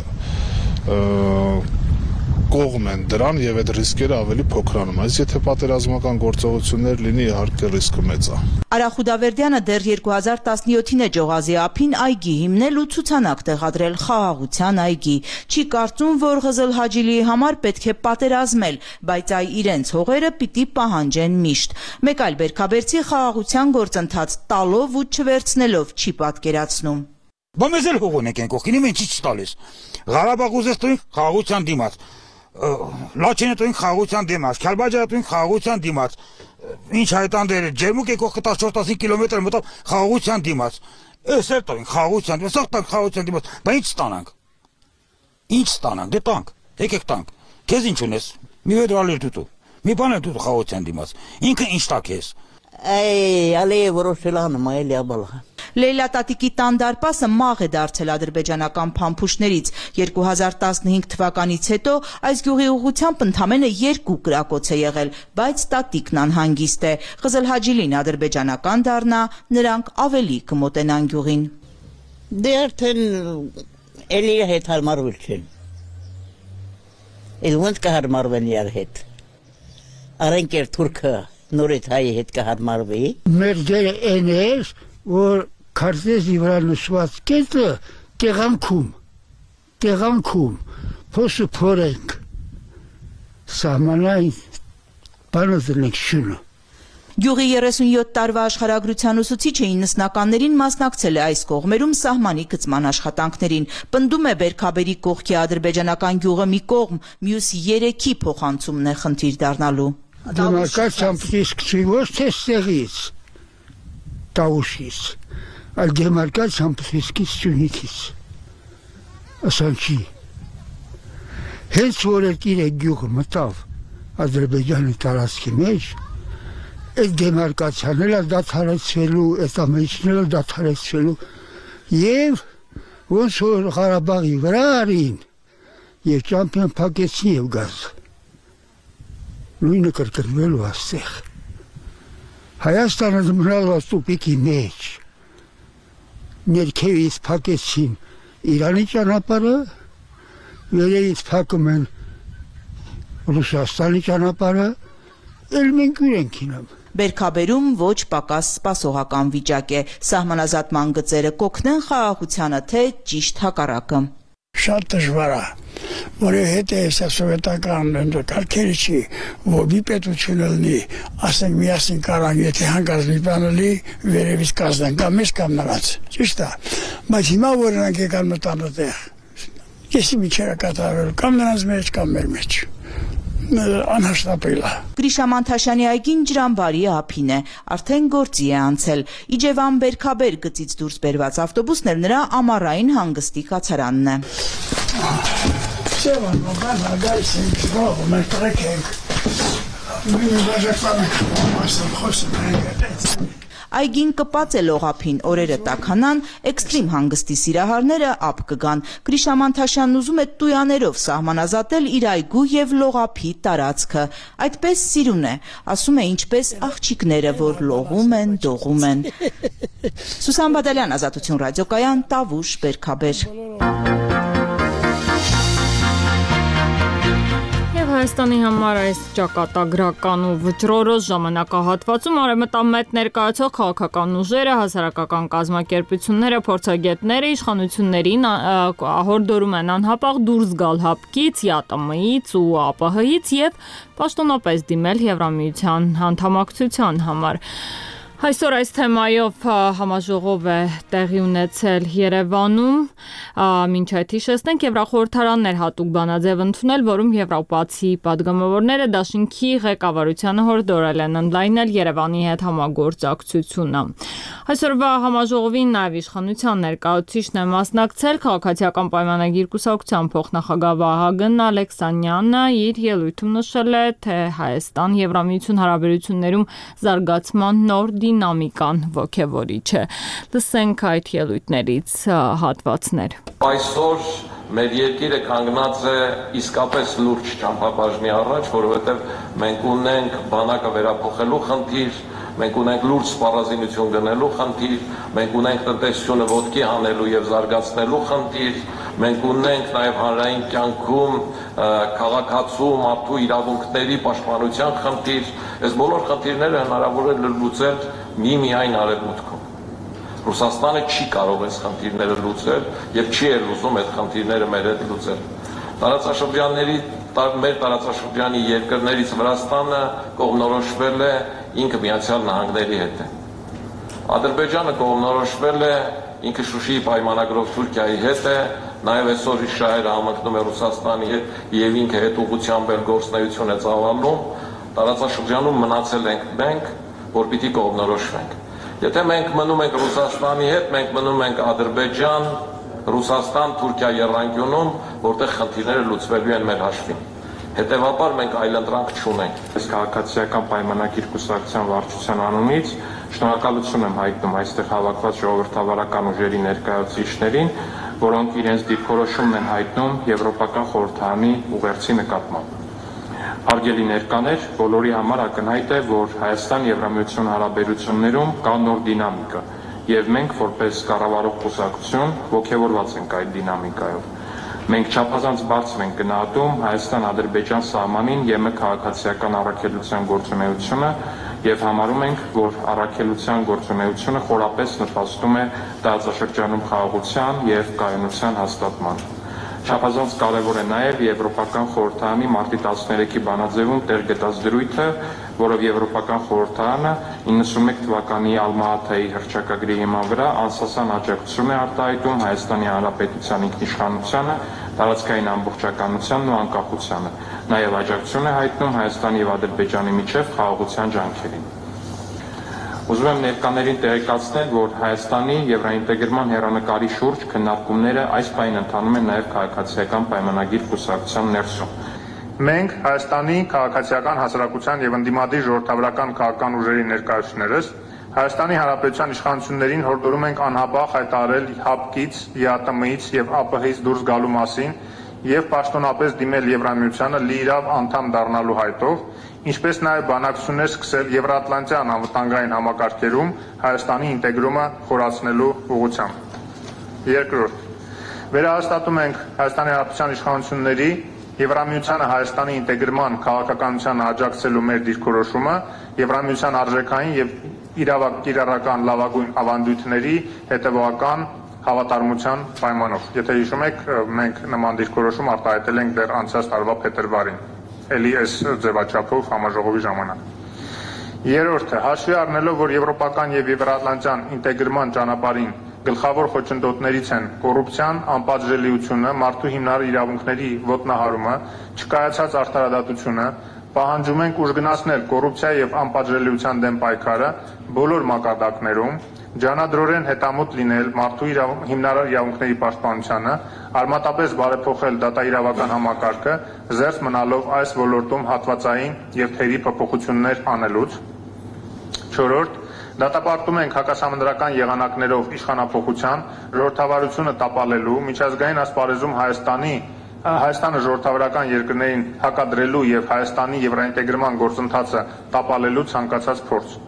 Q: կողմ են դրան եւ այդ ռիսկերը ավելի փոքրանում։ Այս եթե պատերազմական գործողություններ լինի, իհարկե ռիսկը մեծ է։
O: Արա Խուդավերդյանը դեռ երկու հազար տասնյոթին է Ջողազի ափին այգի հիմնել ու ցուցանակ տեղադրել խաղաղության այգի։ Չի կարծում, որ Ղզլ Հաջիլիի համար պետք է պատերազմել, բայց այ իրենց հողերը պիտի պահանջեն միշտ։ Մեկ այլ բերքաբերցի խաղաղության գործընթաց տալով ու չվերցնելով չի պատկերացնում։
R: Բա մեզ էլ հող ունենք ենք օգին, ինչ չի տալիս։ Ղարաբաղ ուզես տույն խաղաղության դիմաց։ Լաչինը տույն խաղաղության դիմաց, Քալբաջարը տույն խաղաղության դիմաց։ Ինչ հայտանդեր ջերմուկ եկող տասնչորս տասնհինգ կիլոմետր մտավ խաղաղության դիմաց։ Էս էլ տույն խաղաղության դիմաց, սաղ տանք խաղաղության դիմաց։ Բա ինչ ստանանք։ Ինչ ստանանք, դե տանք, եկեք տանք։ Քեզ ինչ ունես։ Մի վեդրալիր դուտու։ Մի բան էլ դուտու խաղաղության դիմաց։ Ինքը ինչ տա քեզ։
S: Այ ալե որոշելան մայլի աբալա։
O: Լեյլա տատիկի տան դարպասը մաղ է դարձել ադրբեջանական փամփուշտներից։ երկու հազար տասնհինգ թվականից հետո այս գյուղի ուղղությամբ ընդամենը երկու կրակոց է եղել, բայց տատիկն անհանգիստ է։ Ղզլ Հաջիլին ադրբեջանական դառնա, նրանք ավելի կմոտենան գյուղին։
S: Դե արդեն էլի հետ հարմարվել չեն։ Էլ ոնց կհարմարվեն իրար հետ։ Արենք էր թուրքը նորից հայի հետ կհարմարվի։
T: Մեր դերը այն էր, որ քարտեզի վրա նշված կետը տեղանքում, տեղանքում, փոսը փորենք, սահմանային բանը դրենք շունը։
O: Գյուղի երեսունյոթ տարվա աշխարհագրության ուսուցիչը իննսնականներին մասնակցել է այս կողմերում սահմանի գծման աշխատանքներին։ Պնդում է Բերքաբերի կողքի ադրբեջանական գյուղը մի կողմ, մյուս երեքի փոխանցումն է խնդիր դառնալու։
T: Դեմարկացիան պիտի սկսի ոչ թե ստեղից, տավուշից, այլ դեմարկացիան պիտի սկսի Սյունիքից, ասանքի։ Հենց որ այդ իր գյուղը մտավ Ադրբեջանի տարածքի մեջ, այդ դեմարկացիան էլ դադարեցվելու, այդ ամենիչն էլ դադարեցվելու եւ ոնց որ Ղարաբաղի վրա արին եւ ճամփիոն փակեցին եւ գազ։ Նույնը կրկնվելու աստեղ։ Հայաստանը մնալ տուպիկի մեջ։ Ներքևից փակեցին Իրանի ճանապարհը, վերևից փակում են Ռուսաստանի ճանապարհը, էլ մենք ուրենք ինամ։
O: Բերքաբերում ոչ պակաս սպասողական վիճակ է։ Սահմանազատման գծերը կօգնեն խաղաղությանը, թե ճիշտ հակառակը։
T: Շատ դժվար է, որովհետև այս սովետական կարգերը չի, որ մի պետություն լինի, ասենք միասին կարան, եթե հանկարծ մի բան լինի, վերևից կազդեն, կամ մեզ կամ նրանց, ճիշտ է, բայց հիմա որ նրանք եկան մտան այդտեղ, եսի միջերը կատարվելու, կամ նրանց մեջ, կամ մեր մեջ, անհաշտապել է։
O: Գրիշա Մանթաշյանի այգին Ջրամբարի ափին է, արդեն գործի է անցել։ Իջևան Բերքաբեր գծից դուրս բերված ավտոբուսն էլ նրա ամառային հանգստի կացարանն է։
T: Սևան, մոբան հագայս ենք, զբաղ, մեր տրեք ենք, մինի բաժակվան ենք, մասն խոսում ենք։
O: Այգին կպած է լողափին, օրերը տաքանան, էքստրիմ հանգստի սիրահարները ափ կգան։ Գրիշա Մանթաշյանն ուզում է տույաներով սահմանազատել իր այգու եւ լողափի տարածքը։ Այդպես սիրուն է, ասում է ինչպես աղջիկները, որ լողում են, դողում են։ Սուսան Բադալյան, Ազատություն ռադիոկայան, Տավուշ, Բերքաբեր։
A: Հայաստանի համար այս ճակատագրական ու վճռորոշ ժամանակահատվածում արևմտամետ ներկայացող քաղաքական ուժերը, հասարակական կազմակերպությունները, փորձագետները իշխանություններին հորդորում են անհապաղ դուրս գալ հապկից, ԵԱՏՄ-ից ու ԱՊՀ-ից եւ պաշտոնապես դիմել Եվրամիության անդամակցության համար։ Այսօր այս թեմայով համաժողով է տեղի ունեցել Երևանում, մինչ այդ հիշեցնենք Եվրախորհրդարանն էր հատուկ բանաձև ընդունել, որում եվրոպացի պատգամավորները դաշինքի ղեկավարությանը հորդորել են ընդլայնել Երևանի հետ համագործակցությունը։ Այսօրվա համաժողովին նաև իշխանության ներկայացուցիչն է մասնակցել քաղաքացիական պայմանագիր կուսակցության փոխնախագահ Վահագն Ալեքսանյանը իր ելույթում նշել է, թե Հայաստան-Եվրամիություն հարաբերություններում զարգացման նոր դինամիկան ոգևորիչ է։ Լսենք այդ ելույթներից հատվածներ։
U: Այսօր մեր երկիրը կանգնած է իսկապես լուրջ ճամփաբաժնի առաջ, որովհետև մենք ունենք բանակը վերափոխելու խնդիր, մենք ունենք լուրջ սպառազինություն գնելու խնդիր, մենք ունենք տնտեսությունը ոտքի հանելու եւ զարգացնելու խնդիր, մենք ունենք նաեւ հանրային կյանքում քաղաքացու մարդու իրավունքների պաշտպանության խնդիր, այս բոլոր խնդիրները հնարավոր է լուծել միմիայն արևմուտքում։ Ռուսաստանը չի կարող այս խնդիրները լուծել եւ չի էլ ուզում այդ խնդիրները մեր հետ լուծել։ Տարածաշրջանների մեր տարածաշրջանի երկրներից Վրաստանը կողմնորոշվել է ինքը Միացյալ Նահանգների հետ է։ Ադրբեջանը կողմնորոշվել է ինքը Շուշիի պայմանագրով Թուրքիայի հետ է, նաև այսօր իր շահերը համընկնում է Ռուսաստանի հետ եւ ինքը հետ ուղղությամբ էլ գործունեություն է ծավալում, տարածաշրջանում մնացել ենք մենք, որ պիտի կողմնորոշվենք։ Եթե մենք մնում ենք Ռուսաստանի հետ, մենք մնում ենք Ադրբեջան, Ռուսաստան, Թուրքիա եռանկյունում, որտեղ խնդիրները լուծվելու են մեր հաշվին։ Հետևաբար մենք այլընտրանք չունենք։
V: Այս քաղաքացիական պայմանագիր կուսակցության վարչության անունից շնորհակալություն եմ հայտնում այստեղ հավաքված ժողովրդավարական ուժերի ներկայացուցիչներին, որոնք իրենց դիրքորոշումն են հայտնում Եվրոպական խորհրդարանի ուղերձի նկատմամբ։ Հարգելի ներկաներ, բոլորի համար ակնհայտ է, որ Հայաստան-Եվրամիություն հարաբերություններում կա նոր դինամիկա, եւ մենք որպես կառավարող կուսակցություն ողջավորված ենք այդ դինամիկայով։ Մենք չափազանց բարձր ենք գնահատում Հայաստան-Ադրբեջան սահմանին ԵՄ քաղաքացիական առաքելության գործունեությունը եւ համարում ենք, որ առաքելության գործունեությունը խորապես նպաստում է տարածաշրջանում խաղաղության եւ կայունության հաստատմանը։ Չափազանց կարևոր է նաև Եվրոպական խորհրդարանի մարտի տասներեքի բանաձևում տեղ գտած դրույթը, որով Եվրոպական խորհրդարանը իննսունմեկ թվականի Ալմա-Աթայի հռչակագրի հիման վրա անսասան աջակցություն է արտահայտում Հայաստանի Հանրապետության ինքնիշխանությանը, տարածքային ամբողջականությանն ու անկախությանը, նաև աջակցություն է հայտնում Հայաստանի եւ Ադրբեջանի միջև խաղաղության ջանքերին։ Ուզում եմ ներկաներին տեղեկացնել, որ Հայաստանի եվրոինտեգրման հեռանկարի շուրջ քննարկումները այս պահին ընթանում են նաև քաղաքացիական պայմանագիր կուսակցության ներսում։ Մենք Հայաստանի քաղաքացիական հասարակության եւ ընդդիմադիր ժողովրդավարական քաղաքական ուժերի ներկայացուցիչներս Հայաստանի Հանրապետության իշխանություններին հորդորում ենք անհապաղ հայտարարել ՀԱՊԿ-ից, ԵԱՏՄ-ից եւ ԱՊՀ-ից դուրս գալու մասին եւ պաշտոնապես դիմել Եվրամիությանը լիիրավ անդամ դառնալու հայտով, ինչպես նաև բանակցություններ սկսել Եվրատլանտյան անվտանգային համակարգերում Հայաստանի ինտեգրումը խորացնելու ուղղությամբ։ Երկրորդ, վերահաստատում ենք Հայաստանի Հանրապետության իշխանությունների Եվրամիությանը Հայաստանի ինտեգրման քաղաքականությանը աջակցելու մեր դիրքորոշումը Եվրամիության արժեքային եւ իրավական լավագույն ավանդույթների հետևողական հավատարմության պայմանով։ Եթե հիշում եք, մենք նման դիրքորոշում արտահայտել ենք դեռ անցած տարվա փետրվարին, էլի այս ձևաչափով համաժողովի ժամանակ։ Երրորդը, հաշվի առնելով, որ եվրոպական եւ եվրատլանտյան ինտեգրման ճանապարհին գլխավոր խոչընդոտներից են կոռուպցիան, անպատժելիությունը, մարդու հիմնարար իրավունքների ոտնահարումը, չկայացած արդարադատությունը, պահանջում ենք ուժգնացնել կոռուպցիա եւ անպատժելիության դեմ պայքարը բոլոր մակարդակներում, ջանադրորեն հետամուտ լինել մարդու հիմնարար իրավունքների պաշտպանությանը, արմատապես բարեփոխել դատաիրավական համակարգը, զերծ մնալով այս ոլորտում հատվածային եւ թերի փոփոխություններ անելուց։ Չորրորդ, դատապարտում ենք հակասահմանադրական եղանակներով իշխանափոխության, ժողովրդավարությունը տապալելու, միջազգային ասպարեզում Հայաստանի Հայաստանը ժողովրդավարական երկրներին հակադրելու եւ Հայաստանի եվրոինտեգրման գործընթացը տապալելու ցանկացած փորձ։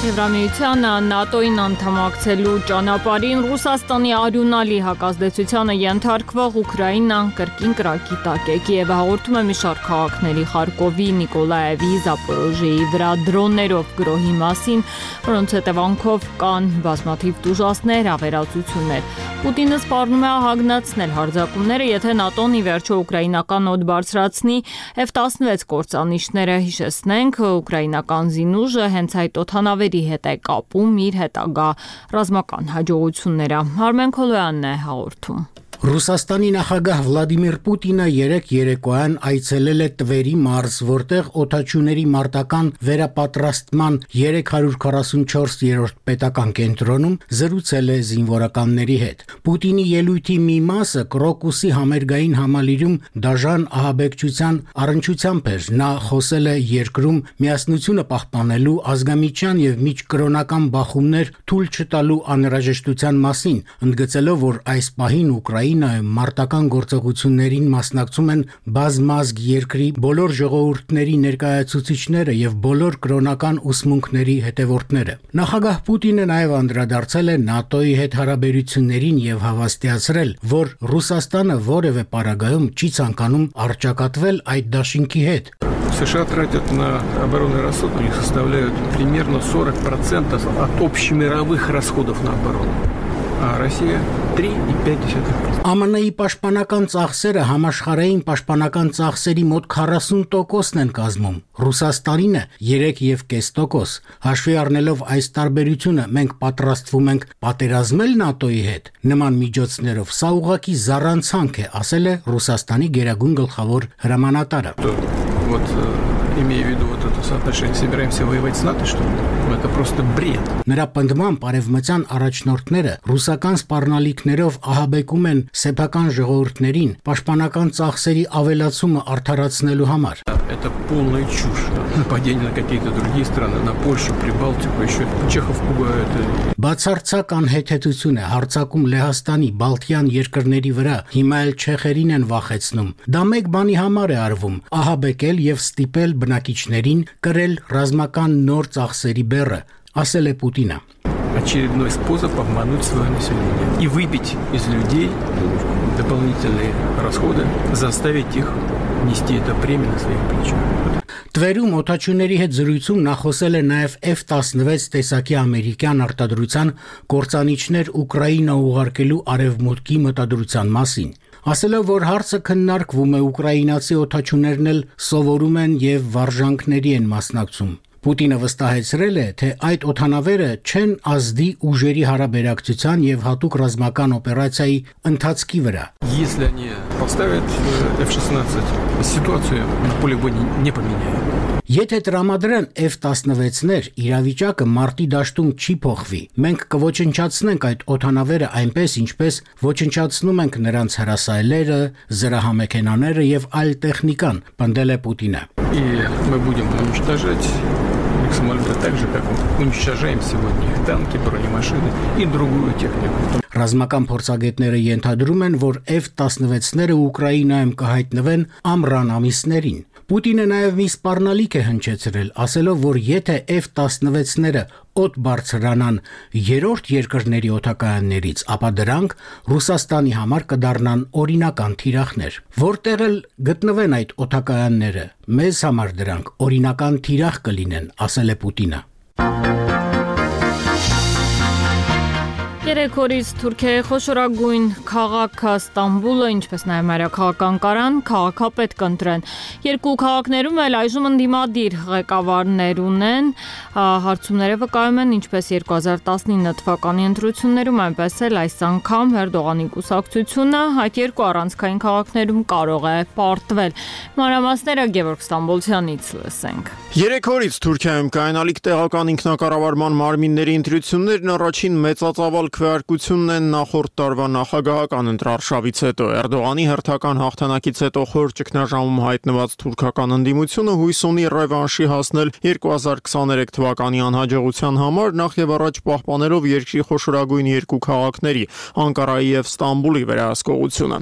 A: Եվրամիությանը ՆԱՏՕ-ին անդամակցելու ճանապարհին Ռուսաստանի արյունալի հակազդեցությանը ենթարկվող Ուկրաինան կրկին կրակի տակ է։ Կիևը հաղորդում է մի շարք քաղաքների Խարկովի, Նիկոլաևի, Զապորոժիեի վրա դրոններով գրոհի մասին, որոնց հետևանքով կան բազմաթիվ տուժածներ, ավերածություններ։ Պուտինը սպառնում է ահագնացնել հարձակումները, եթե ՆԱՏՕ-ն ի վերջո ուկրաինական օդ բարձրացնի Էֆ տասնվեց կործանիչները, հիշեցնենք, ուկրաինական զինուժը հենց այդ օդանավերի հետ է կապում իր հետագա ռազմական հաջողությունները։ Արմեն Քոլոյանն է հաղորդում։
B: Ռուսաստանի նախագահ Վլադիմիր Պուտինը երեկ երեկոյան այցելել է Տվերի մարզ, որտեղ օդաչուների մարտական վերապատրաստման երեք հարյուր քառասունչորսերորդ պետական կենտրոնում զրուցել է զինվորականների հետ։ Պուտինի ելույթի մի մասը Կրոկուսի համերգային համալիրում դաժան ահաբեկչության առնչությամբ էր։ Նա խոսել է երկրում միասնությունը պահպանելու, ազգամիջյան եւ միջկրոնական բախումներ թույլ չտալու անհրաժեշտության մասին, ընդգծելով, որ այս պահին Ուկրաինայում մարտական գործողություններին մասնակցում են բազմազգ երկրի բոլոր ժողովուրդների ներկայացուցիչները եւ բոլոր կրոնական ուսմունքների հետևորդները։ Նախագահ Պուտինը նաեւ անդրադարձել է ՆԱՏՕ-ի հետ հարաբերություններին եւ հավաստիացրել, որ Ռուսաստանը որևէ պարագայում չի ցանկանում առճակատվել այդ դաշինքի հետ։
D: США тратят на оборонный расход, у них составляют примерно сорок процентов от общемировых расходов на оборону. А Россия три и пять десятых процента.
B: ԱՄՆ-ի պաշտպանական ծախսերը համաշխարհային պաշտպանական ծախսերի մոտ քառասուն տոկոսն են կազմում։ Ռուսաստանինը երեք եւ կես տոկոս։ Հաշվի առնելով այս տարբերությունը, մենք պատրաստվում ենք պատերազմել ՆԱՏՕ-ի հետ։ Նման միջոցներով սա ուղղակի զառանցանք է, ասել է Ռուսաստանի գերագույն գլխավոր հրամանատարը։
D: Вот имея в виду вот это соотношение, собираемся воевать с НАТО, что ли? Это просто бред.
B: Նրա պնդմամբ արևմտյան առաջնորդները ռուսական սպառնալիքներով ահաբեկում են սեփական ժողովուրդներին պաշտպանական ծախսերի ավելացումը արդարացնելու համար։
D: Это полная чушь. Нападение на какие-то другие страны, на Польшу, Прибалтику, еще Чехов пугают.
B: Բացարձակ անհեթեթություն է հարձակում Լեհաստանի, Բալթյան երկրների վրա, հիմա էլ չեխերին են վախեցնում։ Դա մեկ բանի համար է արվում՝ ահաբեկել եւ ստիպել բնակիչներին կրել ռազմական нор ծախսերի բեռը, ասել է Պուտինը։
D: Очередной способ обмануть свое население и выбить из людей дополнительные расходы, заставить их нести это бремя на своих плечах.
B: Տվերում օդաչուների հետ զրույցում նա խոսել է նաև Էֆ տասնվեց տեսակի ամերիկյան արտադրության կործանիչներ Ուկրաինա ուղարկելու արևմուտքի մտադրության մասին։ Ասելով, որ հարցը քննարկվում է, ուկրաինացի օդաչուներն էլ սովորում են եւ վարժանքների են մասնակցում։ Պուտինը վստահեցրել է, թե այդ օդանավերը չեն ազդի ուժերի հարաբերակցության եւ հատուկ ռազմական օպերացիայի ընթացքի վրա։
D: Если они поставят Էֆ шестнадцать, ситуацию на поле боя не поменяет.
B: Եթե տրամադրեն Էֆ տասնվեցներ, իրավիճակը մարտի դաշտում չի փոխվի։ Մենք կոչնչացնենք այդ օդանավերը այնպես, ինչպես ոչնչացնում ենք նրանց հրասայլերը, զրահամեքենաները եւ այլ տեխնիկան, պնդել է Պուտինը։
D: И мы будем уничтожать самолеты так же, как уничтожаем сегодня танки, бронемашины и другую технику.
B: Ռազմական փորձագետները ենթադրում են, որ Էֆ տասնվեցները Ուկրաինայում կհայտնվեն ամռան ամիսներին։ Պուտինը նաև մի սպառնալիք է հնչեցրել, ասելով, որ եթե Էֆ տասնվեցները օդ բարձրանան երրորդ երկրների օդակայաններից, ապա դրանք Ռուսաստանի համար կդառնան օրինական թիրախներ։ Որտեղ էլ գտնվեն այդ օդակայանները, մեզ համար դրանք օրինական թիրախ կլինեն, ասել է Պուտինը։
A: Երեք օրից Թուրքիայի խոշորագույն քաղաքը Ստամբուլը, ինչպես նաև մայրաքաղաքական Անկարան, քաղաքապետ կընտրեն։ Երկու քաղաքներում էլ այժմ ընդդիմադիր ղեկավարներ ունեն, հարցումները վկայում են ինչպես երկու հազար տասնինը թվականի ընտրություններում, այնպես էլ այս անգամ Էրդողանի կուսակցությունը այդ երկու առանցքային քաղաքներում կարող է պարտվել։ Մանրամասները Գևորգ Ստամբոլցյանից լսենք։
W: Երեք օրից Թուրքիայում կայանալիք տեղական ինքնակառավարման մարմինների ընտրություններն առաջին մեծածավալ քվեարկությունն են նախորդ տարվա նախագահական ընտրարշավից հետո։ Էրդողանի հերթական հաղթանակից հետո խոր ճգնաժամում հայտնված թուրքական ընդդիմությունը հույս ունի ռևանշի հասնել երկու հազար քսաներեք թվականի անհաջողության համար, նախ եւ առաջ պահպանելով երկրի խոշորագույն երկու քաղաքների՝ Անկարայի եւ Ստամբուլի վերահսկողությունը։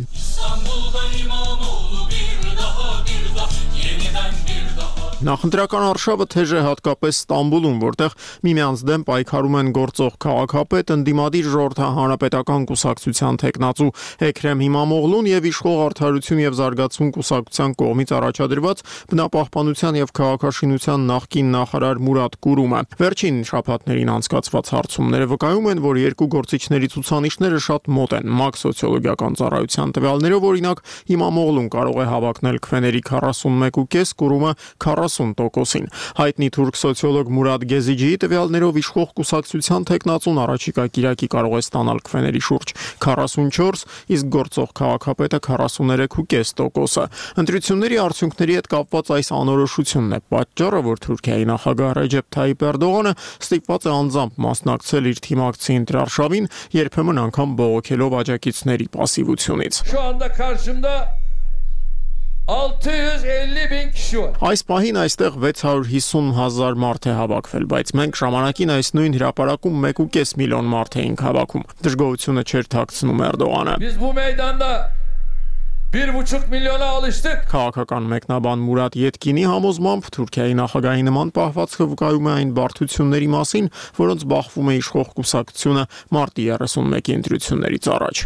W: Նախընտրական արշավը թեժ է հատկապես Ստամբուլում, որտեղ միմյանց դեմ պայքարում են գործող քաղաքապետ, ընդդիմադիր ժողովրդահանրապետական կուսակցության թեկնածու Էքրեմ Հիմամօղլուն եւ իշխող Արդարություն եւ զարգացում կուսակցության կողմից առաջադրված բնապահպանության եւ քաղաքաշինության նախկին նախարար Մուրադ Կուրումը։ Վերջին շաբաթներին անցկացված հարցումները վկայում են, որ երկու գործիչների ցուցանիշները շատ մոտ են։ ՄԱԿ սոցիոլոգիական ծառայության տվյալներով, օրինակ, Հիմամօղլուն կարող է հավակնել քվեների քառասունմեկ կόμμα պենս, Կուրումը քառասուն տոկոսին։ Հայտնի թուրք սոցիոլոգ Մուրադ Գեզիջիի տվյալներով իշխող կուսակցության թեկնածուն առաջիկա կիրակի կարող է ստանալ քվեների շուրջ քառասունչորս, իսկ գործող քաղաքապետը քառասուներեք կόμμα պենս տոկոսը։ Ընտրությունների արդյունքների հետ կապված այս անորոշությունն է պատճառը, որ Թուրքիայի նախագահ Ռեջեփ Թայիփ Էրդողանը ստիպված է անձամբ մասնակցել իր թիմակցի ընտրարշավին, երբեմն անգամ բողոքելով աջակիցների պասիվությունից։ Այս պահին այստեղ վեց հարյուր հիսուն հազար մարդ է հավաքվել, բայց մենք ժամանակին այս նույն հրապարակում մեկ կόμμα պենս միլիոն մարդ էինք հավաքում։ Դժգոհությունը չէր թաքցնում Էրդողանը։
E: bir buçuk milyona alıştık.
W: Քաղաքական մեկնաբան Մուրադ Ետկինի համոզմամբ Թուրքիայի նախագահի նման պահվածքը վկայում է այն բարդությունների մասին, որոնց բախվում է իշխող կուսակցությունը մարտի երեսունմեկի ընտրություններից առաջ։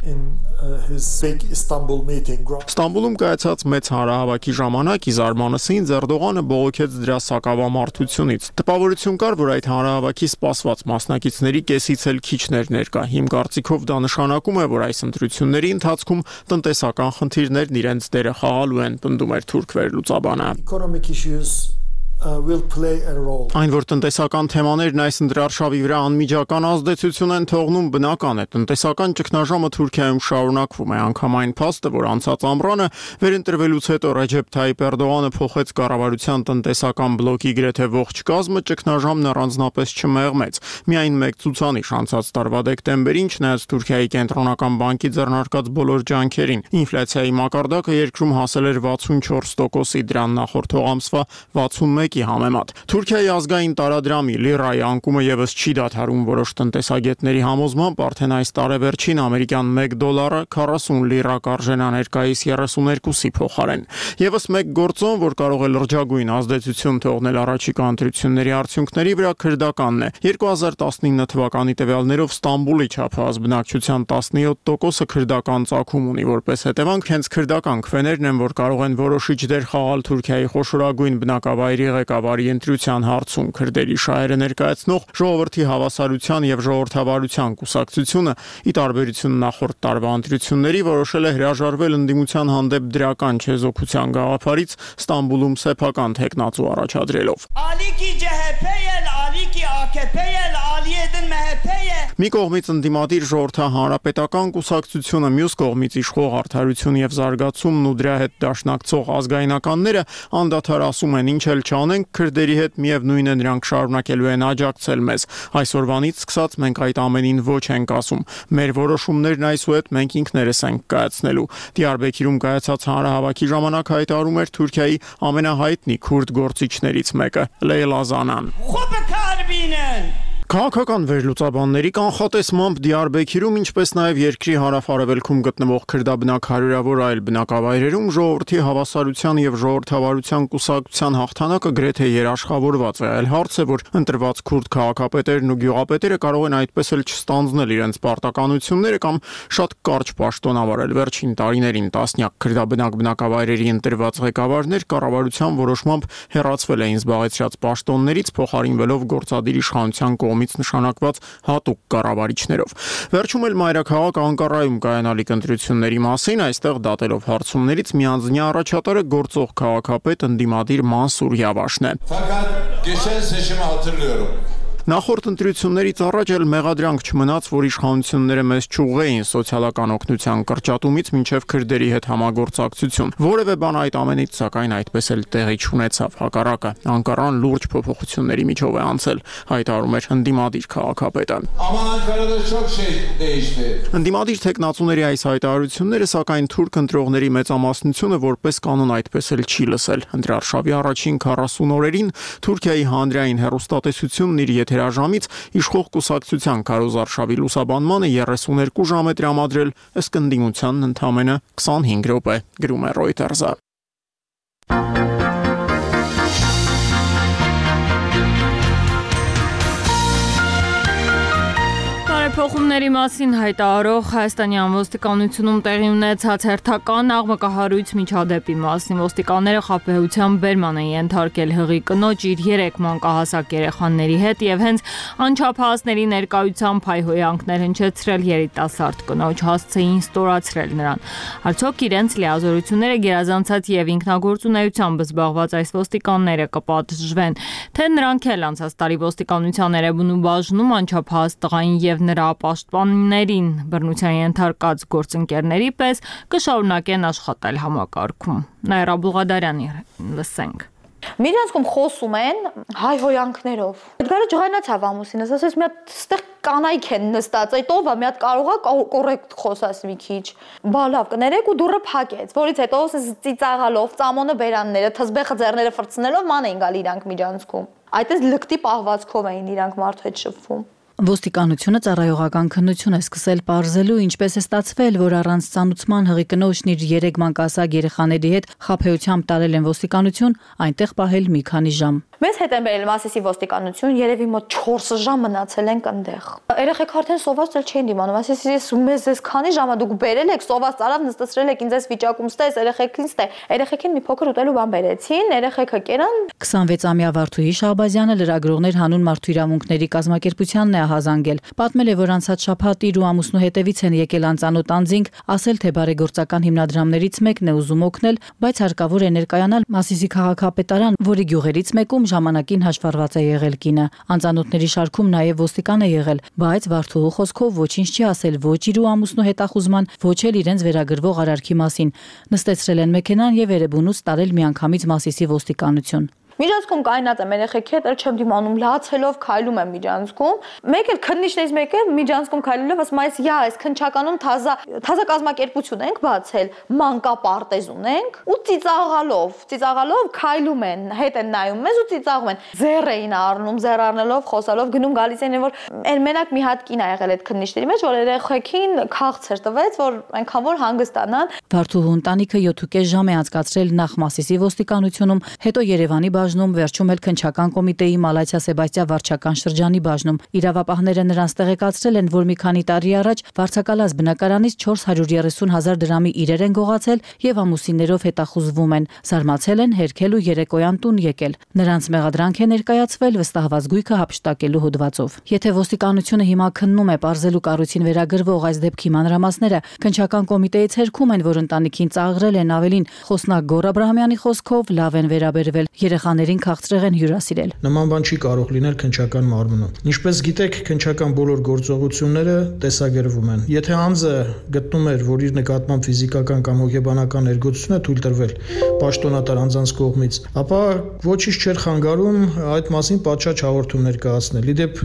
W: Ստամբուլում կայացած մեծ հանրահավաքի ժամանակ Իզարմանսին Էրդողանը բողոքեց դրա սակավամարտությունից։ Տպավորություն կար, որ այդ հանրահավաքի սպասված մասնակիցների կեսից էլ քիչներ ներկա։ Իմ կարծիքով դա նշանակում է, որ այս ընտրությունների ընթացքում տնտեսական խնդիրներ իրենց դերը խաղալու են, պնդում էր թուրք վերլուծաբանը։ Այն, որ տնտեսական թեմաներն այս ընտրարշավի վրա անմիջական ազդեցություն են թողնում, բնական է։ Տնտեսական ճգնաժամը Թուրքիայում շարունակվում է, անգամ այն փաստը, որ անցած ամռանը վերընտրվելուց հետո Ռեջեփ Թայիփ Էրդողանը փոխեց կառավարության տնտեսական բլոկի գրեթե ողջ կազմը, ճգնաժամն առանձնապես չմեղմեց։ Միայն մեկ ցուցանիշ անցած տարվա դեկտեմբերին, չնայած Թուրքիայի կենտրոնական բանկի ձեռնարկած բոլոր ջանքերին, ինֆլյացիայի մակարդակը երկրում հասել էր վաթսունչորս տոկոսի, դրան նախորդող ամսվա վաթսունմեկի համեմատ։ Թուրքիայի ազգային տարադրամի լիրայի անկումը եւս չի դադարում, որոշ տնտեսագետների համոզմամբ արդեն այս տարեվերջին ամերիկյան մեկ դոլարը քառասուն լիրա կարժենա ներկայիս երեսուներկուսի փոխարեն։ Եվս մեկ գործոն, որ կարող է լրջագույն ազդեցություն թողնել առաջիկա ընտրությունների արդյունքների վրա, քրդականն է։ երկու հազար տասնինը թվականի տվյալներով Ստամբուլի չափահաս բնակչության տասնյոթ տոկոսը քրդական ծագում ունի, որպես հետևանք հենց քրդական քվեներն են, որ կարող են որոշիչ դեր խաղալ Թուրքիայի խոշորագույն բնակավայրի ղեկավարի ընտրության հարցում։ Քրդերի շահերը ներկայացնող ժողովրդի հավասարության եւ ժողովրդավարության կուսակցությունը, ի տարբերություն նախորդ տարվա ընտրությունների, որոշել է հրաժարվել ընդդիմության հանդեպ դրական չեզոքության գաղափարից, Ստամբուլում սեփական թեկնածու առաջադրելով։ Մի կողմից ընդդիմադիր ժողովրդահանրապետական կուսակցությունը, մյուս կողմից իշխող Արդարություն եւ զարգացումն ու դրա հետ դաշնակցող ազգայնականները անդադար ասում են, ինչ էլ չանենք, քրդերի հետ միևնույն է, նրանք շարունակելու են աջակցել մեզ։ Այսօրվանից սկսած մենք այդ ամենին ոչ ենք ասում։ Մեր որոշումներն այսուհետ մենք ինքներս ենք կայացնելու։ Դիարբեքիրում կայացած հանրահավաքի ժամանակ հայտարարում էր Թուրքիայի ամենահայտնի քուրդ գործիչներից մեկը՝ Լեյլա Զանան։ Քաղաքական վերլուծաբանների կանխատեսմամբ Դիարբեքիրում, ինչպես նաև երկրի հարավ-արևելքում գտնվող քրդաբնակ հարյուրավոր այլ բնակավայրերում ժողովրդի հավասարության եւ ժողովրդավարության կուսակցության հաղթանակը գրեթե երաշխավորված է։ Այլ հարց է, որ ընտրված քուրդ քաղաքապետերն ու գյուղապետերը կարող են այդպես էլ չստանձնել իրենց պարտականությունները կամ շատ կարճ պաշտոն ավարել։ Վերջին տարիներին տասնյակ քրդաբնակ բնակավայրերի ընտրված ղեկավարներ կառավարության որոշմամբ հեռացվել էին զբաղեցրած պաշտոններից, փոխարինվելով գործադիր իշխանության կողմից նշանակված հատուկ կառավարիչներով։ Վերջում էլ մայրաքաղաք Անկարայում կայանալիք ընտրությունների մասին այստեղ դատելով հարցումներից միանձնյա առաջատարը գործող քաղաքապետ ընդդիմադիր Մանսուր Յավաշն է։ Նախորդ ընտրություններից առաջ էլ մեղադրանք չմնաց, որ իշխանությունները մեզ չուղղեին սոցիալական օգնության կրճատումից մինչև քրդերի հետ համագործակցություն։ Որևէ բան այդ ամենից սակայն այդպես էլ տեղի չունեցավ։ Հակառակը, Անկարան լուրջ փոփոխությունների միջով է անցել, հայտարարում էր ընդդիմադիր քաղաքապետը։ Ընդդիմադիր թեկնածուների այս հայտարարությունները սակայն թուրք ընտրողների մեծամասնությունը որպես կանոն այդպես էլ չի լսել։ Ընտրարշավի առաջին քառասուն օրերին Թուրքիայի հանրային հեռուստատեսությունն իր եթերաժամից իշխող կուսակցության քարոզարշավի լուսաբանմանը երեսուներկու ժամ է տրամադրել, ըստ ընդդիմությանն ընդամենը քսանհինգ րոպե, գրում է Reuters-ը։
A: Տեղափոխումների մասին հայտարարող Հայաստանյան ոստիկանությունում տեղի ունեցած հերթական աղմկահարույց միջադեպի մասին ոստիկանները խաբեության բերման են ենթարկել հղի կնոջ իր երեք մանկահասակ երեխաների հետ եւ հենց անչափահասների ներկայությամբ հայհոյանքներ հնչեցրել երիտասարդ կնոջ, հասցեին ստորացրել նրան։ Արդյոք իրենց լիազորությունները գերազանցած եւ ինքնագործունեությամբ զբաղված այս ոստիկանները կպատժվեն, թե նրանք էլ անցած տարի ոստիկանության երևույթ բաժնում անչափահաս տղային եւ նրա պաշտպաններին բռնության ենթարկած գործընկերների պես կշարունակեն աշխատել համակարգում։ Նաիրա Բուղադարյանի լսենք։
C: Միրանցքում խոսում են հայհոյանքներով։ Էդգարը ջղայնացավ ամուսինս, ասես մի հատ ստեղ կանայք են նստած, այդ ով է մի հատ կարող է կոռեկտ խոսած մի քիչ։ Բա լավ կներեք ու դուռը փակեց, որից հետո ծիծաղալով, ծամոնը բերանները, թզբեխը ձեռները ֆրցնելով ման էին գալ իրանք միջանցքում։ Այդպես լկտի պահվածքով էին իրանք մարդու հետ շփվում։
M: Ոստիկանությունը ծառայողական քննություն է սկսել պարզելու, ինչպես է ստացվել, որ առանց ծանուցման հղի կնոջն իր երեք մանկահասակ երեխաների հետ խաբեությամբ տարել են ոստիկանություն, այնտեղ պահել մի քանի ժամ։
C: Մեզ հետ են բերել Մասիսի ոստիկանություն, երևի մոտ չորս ժամ մնացել ենք այնտեղ։ Երեխեք արդեն սոված էլ չէին դիմանում, ասես մեզ էս քանի ժամ դուք բերել եք, սոված ծարավ նստեցրել եք ինձ այս վիճակում ստես, երեխեքին ստե։ Երեխեքին մի փոքր ուտելու բան բերեցին, երեխեքը կերան։
M: քսանվեցամյա Վարդուհի Շահբազյանը լրագրողներ հանուն մարդու իրավունքների կազմակերպությանն է ահազանգել։ Պատմել է, որ անցած շաբաթ իր ու ամուսնու հետևից են եկել անծանոթ անձինք, ասել թե բարեգործական հիմնադրամներից մեկն է ուզում օգնել, բայց հարկավոր է ներկայանալ Մասիսի քաղաքապետարան, որի գյուղերից մեկում ժամանակին հաշվառված է եղել կինը։ Անծանոթների շարքում նաև ոստիկան է եղել, բայց Վարդուհու խոսքով ոչինչ չի ասել ոչ իր ու ամուսնու հետախուզման, ոչ էլ իրենց վերագրվող արարքի մասին։ Նստեցրել են մեքենան եւ Էրեբունուց տարել միանգամից Մասիսի ոստիկանություն։
C: Միջանցքում կայնած եմ երեխեքի հետ, էլ չեմ դիմանում, լացելով քայլում եմ միջանցքում։ Մեկ էլ քննիչներից մեկը միջանցքում քայլելով ասում է, «Յա, այս քնչականում թազա թազա կազմակերպություն ենք բացել, մանկապարտեզ ունենք» ու ծիծաղալով, ծիծաղալով քայլում են, հետ են նայում մեզ ու ծիծաղում են։ Ձեռ էին առնում, ձեռ առնելով, խոսալով գնում գալիս են, որ այն մենակ մի հատ կին ա եղել այդ քննիչների մեջ, որ երեխեքին քաղցր տվեց, որ այնքան որ հանգստանան։
M: Վարդուհու ընտանիքը յոթ ու կես ժամ է անցկացրել նախ Մասիսի ոստիկանությունում, հետո Երևանի բաժնում, վերջում էլ քնչական կոմիտեի Մալաթիա Սեբաստիա վարչական շրջանի բաժնում։ Իրավապահները նրանց տեղեկացրել են, որ մի քանի տարի առաջ Վարչակալած բնակարանից չորս հարյուր երեսուն հազար դրամի իրեր են գողացել եւ ամուսիններով հետախուզվում են։ Զարմացել են, հերքել ու երեկոյան տուն եկել։ Նրանց մեղադրանք է ներկայացվել վստահված գույքը հափշտակելու հոդվածով։ Եթե ոստիկանությունը հիմա քննում է պարզելու կառույցին վերագրվող այս դեպքի մանրամասները, քնչական կոմիտեից հերքում են, որ ընտանիքին ծաղրել են, ավելին խոսնակ Գոռ Աբրահամյանի խոսքով լավ են վերաբերվել, երեխաներին քաղցրեղ են հյուրասիրել։
F: Նման բան չի կարող լինել քնչական մարմնում։ Ինչպես գիտեք, քնչական բոլոր գործողությունները տեսագրվում են։ Եթե անձը գտնում էր, որ իր նկատմամբ ֆիզիկական կամ հոգեբանական ներգործություն է թույլ տրվել պաշտոնատար անձանց կողմից, ապա ոչինչ չէր խանգարում այդ մասին պատշաճ հաղորդում ներկայացնել։ Իդեպ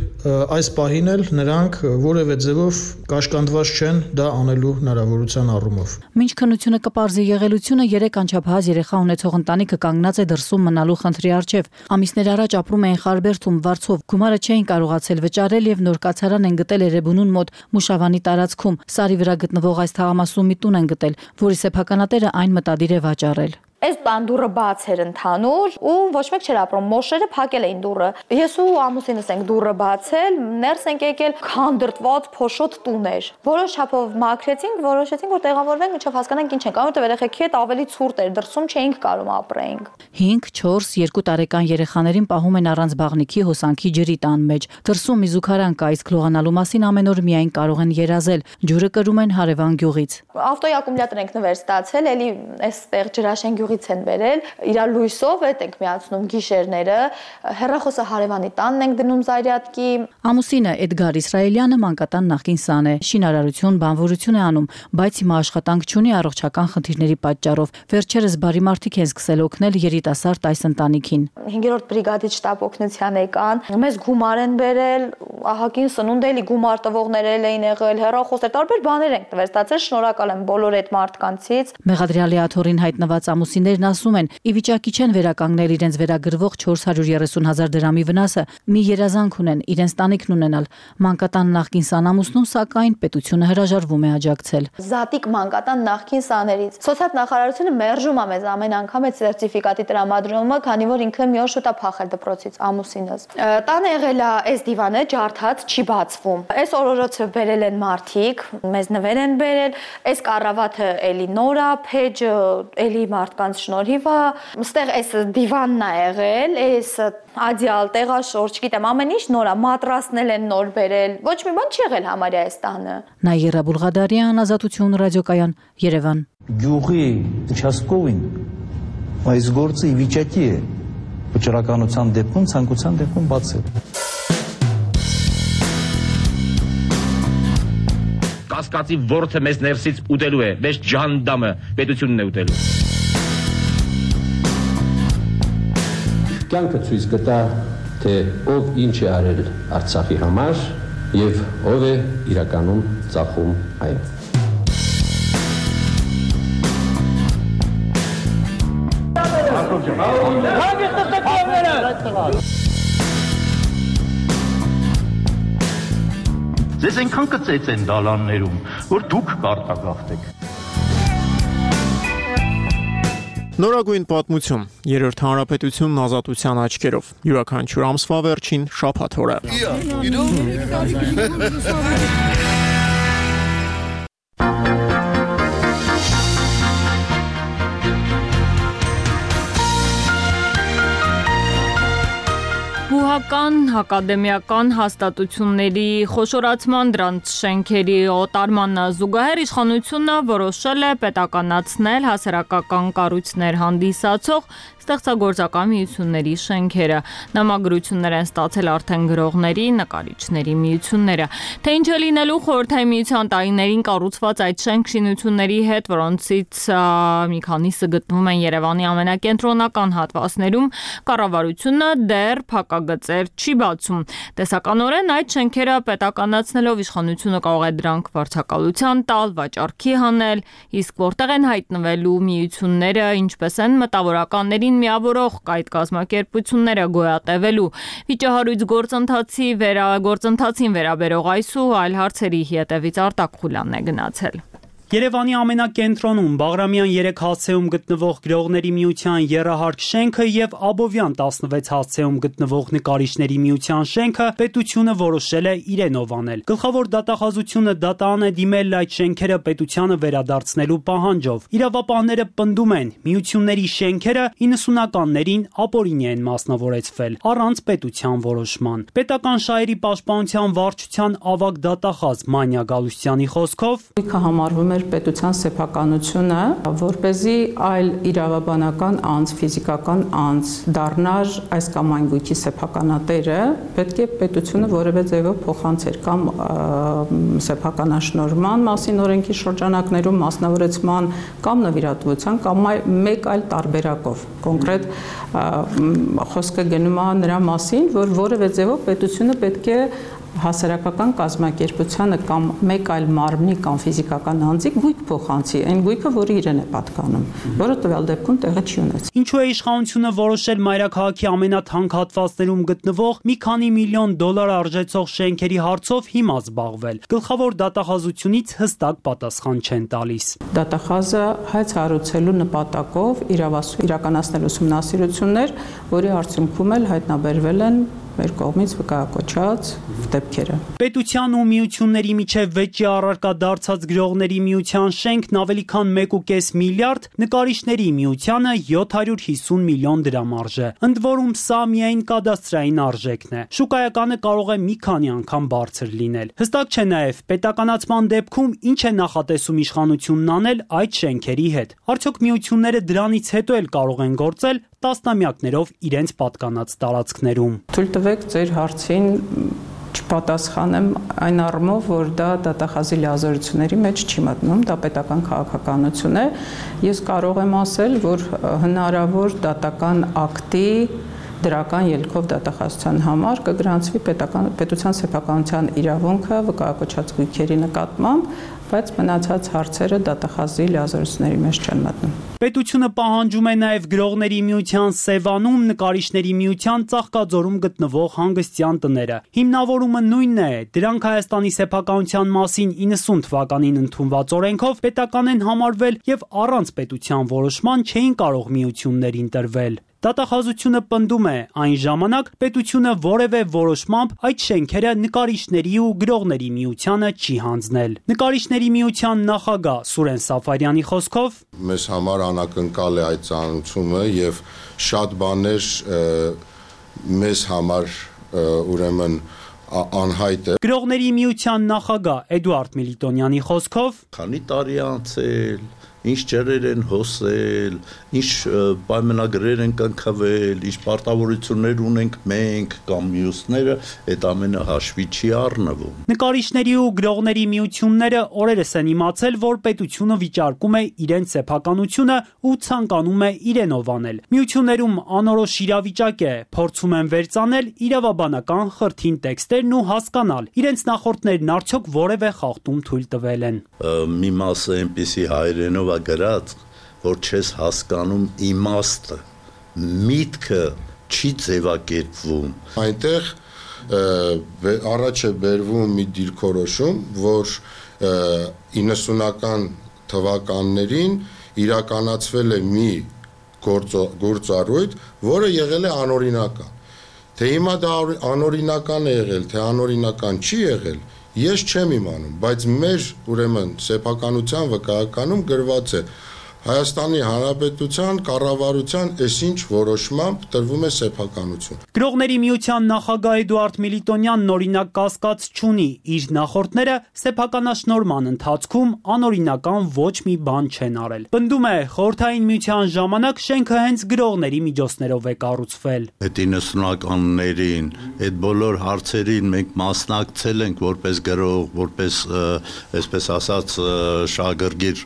F: այս պահին էլ նրանք որևէ ձևով կաշկանդված չեն դա անելու հնարավորության առումով։
M: Մինչ քննությունը կպարզի եղելությունը, երեք անչափահաս երեխա ունեցող ընտանիքը կանգնած է դրսում մնալու խնդրի առջև։ Ամիսներ առաջ ապրում էին Խարբերդում, Վարձով, գումարը չէին կարողացել վճարել եւ նոր կացարան են գտել Էրեբունուն մոտ Մուշավանի տարածքում։ Սարի վրա գտնվող այս թաղամասում մի տուն են գտել, որի սեփականատերը այն մտադիր է վաճառել։
C: Այս տան դուռը բաց էր ընդհանուր ու ոչ մեկ չէր ապրում, մոշերը փակել էին դուռը։ Ես ու ամուսինս ենք դուռը բացել, ներս ենք եկել, քանդրտված փոշոտ տուն էր։ Որոշ չափով մաքրեցինք, որոշեցինք, որ տեղավորվենք, մինչև հասկանանք ինչ ենք անում, որտեղ երեխեքի հետ ավելի ցուրտ էր, դրսում չէինք կարող ապրեինք։
M: հինգ, չորս, երկու տարեկան երեխաներին պահում են առանց բաղնիքի հոսանքի ջրի տան մեջ։ Դրսում մի զուգարան կա, իսկ լողանալու մասին ամեն օր միայն կարող են երազել։ Ջուրը կրում են հարևան գյուղից։
C: Ավտոյի ակումուլյատոր ենք նվեր ստացել, էլի այստեղ Ջրաշեն գյուղից են բերել, իրա լույսով հետ ենք միացնում գիշերները, հեռախոսը հարևանի տանն ենք դնում զարյատկի։
M: Ամուսինը Էդգար Իսրայելյանը մանկատան նախկին սան է, շինարարություն, բանվորություն է անում, բայց հիմա աշխատանք չունի առողջական խնդիրների պատճառով։ Վերջերս բարի մարդիկ են սկսել օգնել երիտասարդ այս ընտանիքին։
C: հինգերորդ բրիգադի շտաբ օգնության եկան, մեզ գումար են բերել, ահագին սնունդ էլի գումար տվողներ էին եղել, հեռախոսներ, տարբեր բաներ ենք տվել, ստացել, շնորհակալ եմ բոլոր այդ մարդկանցից։
M: Մեղադրյալի աթոռին հայտնված ամուսիններն ասում են, ի վիճակի չեն վերականգնել իրենց վերագրվող չորս հարյուր երեսուն հազար դրամի վնասը, մի երազանք ունեն իրենց տանիքն ունենալ։ Մանկատան նախկին սանամուսնում, սակայն պետությունը հրաժարվում է աջակցել։
C: Զատիկ մանկատան նախկին սաներից սոցիալ նախարարությունը մերժում է մեզ ամեն անգամ այդ սերտիֆիկատի տրամադրումը, քանի որ ինքը մի օր շուտ է փախել դպրոցից ամուսինս։ Տանը եղել է այս դիվանը, ջարդ կարդաց չի բացվում։ Այս օրորոցը բերել են մարդիկ, մեզ նվեր են բերել, այս կառավատը էլի նորա, փեջը էլի մարդկանց շնորհիվ է, այստեղ այս դիվանն է եղել, այս ադիալ տեղաշորջ, գիտեմ, ամեն ինչ նոր է, մատրասնել են նոր բերել, ոչ մի բան չի եղել համարյա այս տանը։
G: Նաիրա Բուլղադարյան, Ազատություն ռադիոկայան, Երևան։
I: Գյուղի участковին այս գործը ի վիճակի է վճռականության դեպքում, ցանկության դեպքում բացել։
J: Կասկածի ворթը մեզ ներսից ուտելու է, մեզ ջանդամը պետությունն է ուտելու։
X: Կյանքը ցույց կտա, թե ով ինչ է արել Արցախի համար եւ ով է իրականում ծախում այն։
I: Ձեզ այնքան կծեց են դալաններում, որ դուք կարտագաղթեք։
W: Նորագույն պատմություն, երրորդ հանրապետությունն ազատության աչքերով, յուրաքանչյուր ամսվա վերջին շաբաթ օրը։
A: Բուհական, ակադեմիական հաստատությունների խոշորացման, դրանց շենքերի օտարմանը զուգահեռ իշխանությունը որոշել է պետականացնել հասարակական կառույցներ հանդիսացող ստեղծագործական միությունների շենքերը։ Նամագրություններ են ստացել արդեն գրողների, նկարիչների միությունները։ Թե ինչ է լինելու Խորհրդային Միության տարիներին կառուցված այդ շենք-շինությունների հետ, որոնցից մի քանիսը գտնվում են Երևանի ամենակենտրոնական հատվածներում, կառավարությունը դեռ փակագծեր չի բացում։ Տեսականորեն այդ շենքերը պետականացնելով իշխանությունը կարող է դրանք վարձակալության տալ, վաճառքի հանել, իսկ որտեղ են հայտնվելու միությունները, ինչպես են մտավորականներին միավորող այդ կազմակերպությունները գոյատևելու, վիճահարույց գործընթացի վերագործընթացին վերաբերող այս ու այլ հարցերի հետևից Արտակ Խուլյանն է գնացել։
Y: Երևանի ամենակենտրոնում Բաղրամյան երեք հացեում գտնվող գրողների միության եռահարկ շենքը եւ Աբովյան տասնվեց հացեում գտնվող նկարիչների միության շենքը պետությունը որոշել է իրենով անել։ Գլխավոր դատախազությունը դատան է դիմել այդ շենքերը պետությանը վերադարձնելու պահանջով։ Իրավապահները պնդում են, միությունների շենքերը իննսունականներին ապօրինի են մասնավորեցվել առանց պետության որոշման։ Պետական շահերի պաշտպանության վարչության ավագ դատախազ Մանյա Գալուստյանի խոսքով
Z: համարվում է պետության սեփականությունը, որպեսզի այլ իրավաբանական անձ, ֆիզիկական անձ դառնար այս կամ այն գույքի սեփականատերը, պետք է պետությունը որևէ ձևով փոխանցեր կամ սեփականաշնորհման մասին օրենքի շրջանակներում մասնավորեցման կամ նվիրատվության կամ մեկ այլ տարբերակով։ Կոնկրետ խոսքը գնում է նրա մասին, որ որևէ ձևով պետությունը պետք է հասարակական կազմակերպությանը կամ մեկ այլ մարմնի կամ ֆիզիկական անձի գույք փոխանցի, այն գույքը, որը իրեն է պատկանում, որը տվյալ դեպքում տեղը չի ունեցել։
Y: Ինչու է իշխանությունը որոշել մայրաքաղաքի ամենաթանկ հատվածներում գտնվող մի քանի միլիոն դոլար արժեցող շենքերի հարցով հիմա զբաղվել։ Գլխավոր դատախազությունից հստակ պատասխան չեն տալիս։
Z: Դատախազը հայց հարուցելու նպատակով իրավասու իրականացնել ուսումնասիրություններ, որի արդյունքում էլ հայտնաբերվել են մեր կողմից վկայակոչած դեպքերը։
Y: Պետության ու միությունների միջև վեճի առարկա դարձած գրողների միության շենքն ավելի քան մեկ ու կես միլիարդ, նկարիչների միությանը յոթ հարյուր հիսուն միլիոն դրամ արժե։ Ընդ որում սա միայն կադաստրային արժեքն է։ Շուկայականը կարող է մի քանի անգամ բարձր լինել։ Հստակ չէ նաև պետականացման դեպքում ինչ է նախատեսում իշխանությունն անել այդ շենքերի հետ։ Արդյոք միությունները դրանից հետո էլ կարող են գործել տասնամյակներով իրենց պատկանած տարածքներում։
Z: Թույլ տվեք ձեր հարցին չպատասխանեմ այն առումով, որ դա դատախազի լիազորությունների մեջ չի մտնում, դա պետական քաղաքականություն է։ Ես կարող եմ ասել, որ հնարավոր դատական ակտի դրական ելքով դատախազության համար կգրանցվի պետական պետության սեփականության իրավունքը վկայակոչած գույքերի նկատմամբ, բայց մնացած հարցերը դատախազի լիազորությունների մեջ չեն մտնում։
Y: Պետությունը պահանջում է նաև գրողների միության Սևանում, նկարիչների միության Ծաղկաձորում գտնվող հանգստյան տները։ Հիմնավորումը նույնն է, դրանք Հայաստանի սեփականության մասին իննսուն թվականին ընդունված օրենքով պետական են համարվել եւ առանց պետության որոշման չէին կարող միություններին տրվել։ Դատախազությունը պնդում է, այն ժամանակ պետությունը որևէ որոշմամբ այդ շենքերը նկարիչների ու գրողների միությանը չի հանձնել։ Նկարիչների միության նախագահ Սուրեն Սաֆարյանի խոսքով
H: մեզ համար անակնկալ է այդ ծանոթությունը եւ շատ բաներ մեզ համար ուրեմն անհայտ է։
Y: Գրողների միության նախագահ Էդուարդ Միլիտոնյանի խոսքով
K: քանի տարի անցել, ինչ ջրեր են հոսել, ինչ պայմանագրեր են կնքվել, ինչ պարտավորություններ ունենք մենք կամ մյուսները, այդ ամենը հաշվի չի առնվում։
Y: Նկարիչների ու գրողների միությունները օրերս են իմացել, որ պետությունը վիճարկում է իրենց սեփականությունը ու ցանկանում է իրենով անել։ Միություններում անորոշ իրավիճակ է, փորձում են վերծանել իրավաբանական խրթին տեքստերն ու հասկանալ, իրենց նախորդներն արդյոք որևէ խախտում թույլ տվել են։
K: Մի մասը այնպիսի հայերենով գրած, որ չես հասկանում իմաստը, միտքը չի ձևակերպվում։
H: Այնտեղ առաջ է բերվում մի դիրքորոշում, որ իննսունական թվականներին իրականացվել է մի գործառույթ, որը եղել է անօրինական։ Թե հիմա դա անօրինական է եղել, թե անօրինական չի եղել, ես չեմ իմանում, բայց մեր ուրեմն սեփականության վկայականում գրված է Հայաստանի Հանրապետության կառավարության այսինչ որոշմամբ տրվում է սեփականություն։
Y: Գրողների միության նախագահ Էդուարդ Միլիտոնյանն օրինակ կասկած չունի, իր նախորդները սեփականաշնորհման ընթացքում անօրինական ոչ մի բան չեն արել։ Պնդում է, խորհրդային միության ժամանակ շենքը հենց գրողների միջոցներով է կառուցվել։
K: Այդ իննսունականներին, այդ բոլոր հարցերին մենք մասնակցել ենք որպես գրող, որպես այսպես ասած շահագրգիռ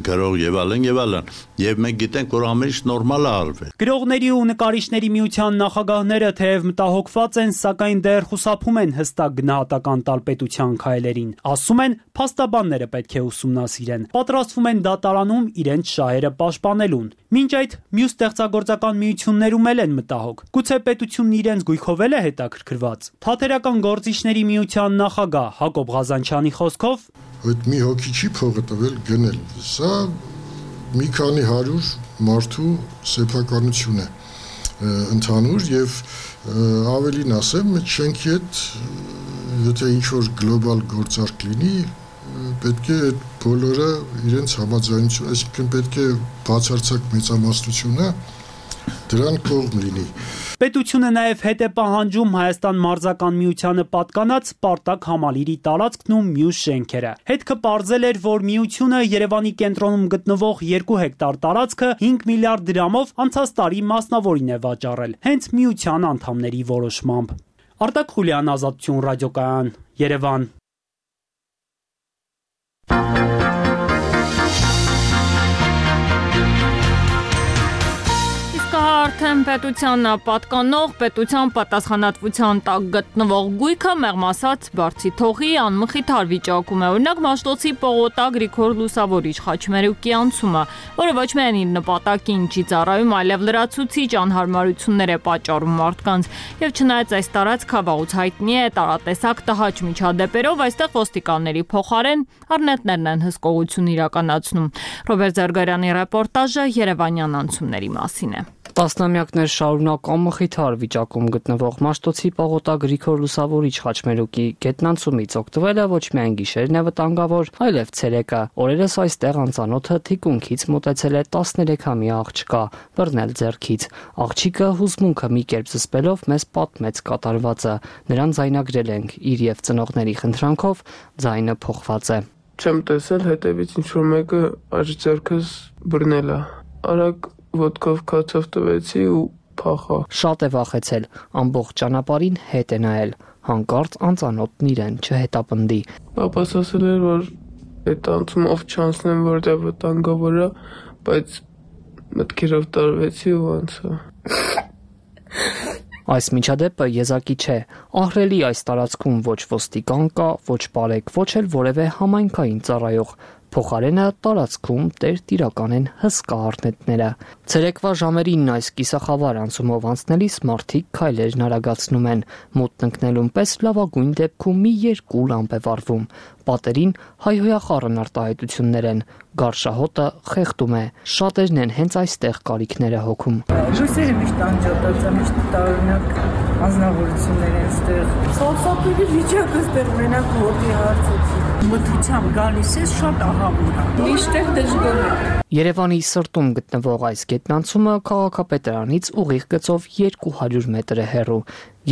K: գրող եւ այլն եւ այլն, եւ մենք գիտենք, որ ամեն ինչ նորմալ է արվել։
Y: Գրողների ու նկարիչների միության նախագահները թեև մտահոգված են, սակայն դեռ խուսափում են հստակ գնահատական տալ պետության քայլերին։ Ասում են, փաստաբանները պետք է ուսումնասիրեն։ Պատրաստվում են դատարանում իրենց շահերը պաշտպանելուն։ Մինչ այդ մյուս ստեղծագործական միություններում էլ են մտահոգ։ Գուցե պետությունն իրենց գույքով էլ է հետաքրքրված։ Թատերական գործիչների միության նախագահ Հակոբ Ղազանչյանի խոսքով
L: այդ մի հոգի չի փողը տվել գնել։ Սա մի քանի հարյուր մարդու սեփականություն է ընդհանուր եւ ավելին ասեմ, այդ շենքի հետ եթե ինչ-որ գլոբալ գործարք լինի, պետք է այդ բոլորը իրենց համաձայնություն, այսինքն պետք է բացարձակ մեծամասնությունը դրան կողմ լինի։
Y: Պետությունը նաև հետ է պահանջում Հայաստան մարզական միությանը պատկանած Սպարտակ համալիրի տարածքն ու մյուս շենքերը։ Հետքը պարզել էր, որ միությունը Երևանի կենտրոնում գտնվող երկու հեկտար տարածքը հինգ միլիարդ դրամով անցած տարի մասնավորին է վաճառել, հենց միության անդամների որոշմամբ։ Արտակ Խուլյան, Ազատություն ռադիոկայան, Երևան։
A: Արդեն պետության պատկանող, պետության պատասխանատվության տակ գտնվող գույքը մեղմ ասած բարձի թողի անմխիթար վիճակում է։ Օրինակ Մաշտոցի Պողոտա Գրիգոր Լուսավորիչ խաչմերուկի անցումը, որը ոչ միայն իր նպատակին չի ծառայում, այլև լրացուցիչ անհարմարություններ է պատճառում մարդկանց։ Եվ չնայած այս տարածքը վաղուց հայտնի է տարատեսակ տհաճ միջադեպերով, այստեղ ոստիկանների փոխարեն առնետներն են հսկողություն իրականացնում։ Ռոբերտ Զարգարյանի ռեպորտաժը Երևանյան անցումների մասին է։
N: Տասնամյակներ շարունակ անմխիթար վիճակում գտնվող Մաշտոցի Պողոտա Գրիգոր Լուսավորիչ խաչմերուկի գետնանցումից օգտվելը ոչ միայն գիշերն է վտանգավոր, այլև ցերեկը։ Օրերս այստեղ անծանոթը թիկունքից մոտեցել է տասներեքամյա աղջկա, բռնել ձեռքից։ Աղջիկը հուզմունքը մի կերպ զսպելով մեզ պատմեց կատարվածը։ Նրան ձայնագրել ենք, իր եւ ծնողների խնդրանքով ձայնը փոխված է։
P: Չեմ տեսել, հետևից ինչ-որ մեկը աջ ձեռքս բռնել է։ Արագ ոտքով քացով տվեցի ու փախա։
N: Շատ է վախեցել, ամբողջ ճանապարհին հետ է նայել, հանկարծ անծանոթն իրեն չհետապնդի։
P: Պապաս ասել էր, որ այդ անցումով չանցնեմ, որտեղ վտանգավոր է, բայց մտքերով տարվեցի ու անցա։
N: Այս միջադեպը եզակի չէ։ Ահռելի այս տարածքում ոչ ոստիկան կա, ոչ բարեկ, ոչ էլ որևէ համայնքային ծառայող։ Փոխարենը տարածքում տերտիրական են հսկա առնետները։ Ցերեկվա ժամերին այս կիսախավար անցումով անցնելիս մարդիկ քայլերն արագացնում են։ Մութն ընկնելուն պես լավագույն դեպքում մի երկու լամպ է վառվում։ Պատերին հայհոյախառն արտահայտություններ են։ Գարշահոտը խեղդում է։ Շատերն են հենց այստեղ կարիքները հոգում։
O: Ռուսերը միշտ անջատած է, միշտ տարօրինակ անձնավորություններ են ստեղ։ Սարսափելի վիճակը ստեղ մենակ հոտի հարցը չի։ Մթությամբ գալիս է շատ ահավոր է։ Միշտ դժգոհ է։
N: Երևանի սրտում գտնվող այս գետնանցումը քաղաքապետարանից ուղիղ գծով երկու հարյուր մետր է հեռու։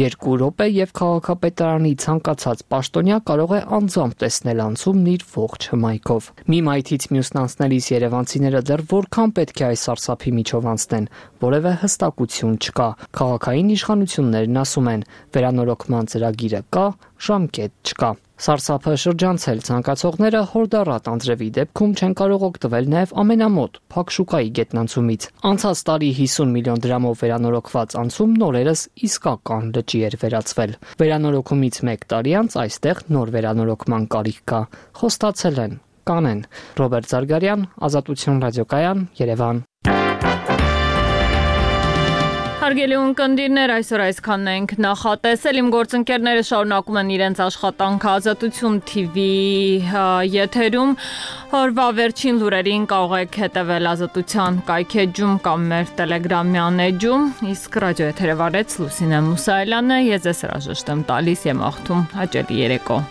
N: Երկու րոպե եւ քաղաքապետարանի ցանկացած պաշտոնյա կարող է անձամբ տեսնել անցումն իր ողջ հմայքով։ Մի մայթից մյուսն անցնելիս երևանցիները դեռ որքան պետք է այս սարսափի միջով անցնեն, որևէ հստակություն չկա։ Քաղաքային իշխանություններն ասում են, վերանորոգման ծրագիրը կա, ժամկետ չկա։ Սարսափը շրջանցել ցանկացողները հորդառատ անձրևի դեպքում չեն կարող օգտվել նաև ամենամոտ Փակշուկայի գետնանցումից։ Անցած տարի հիսուն միլիոն դրամով վերանորոգված անցումն օրերս իսկական լճի էր վերածվել։ Վերանորոգումից մեկ տարի անց այստեղ նոր վերանորոգման կարիք կա։ Խոստացել են, կանեն։ Ռոբերտ Զարգարյան, Ազատություն ռադիոկայան, Երևան։
A: Հարգելի ունկնդիրներ, այսօր այսքանն ենք նախատեսել։ Իմ գործընկերները շարունակում են իրենց աշխատանքը Ազատություն թի վի եթերում։ Օրվա վերջին լուրերին կարող եք հետևել Ազատության կայքեջում կամ մեր Telegram-յան էջում, իսկ ռադիոեթերը վարեց Լուսինե Մուսայելյանը, ես ձեզ հրաժեշտ եմ տալիս, եմ աղթում հաճելի երեկո։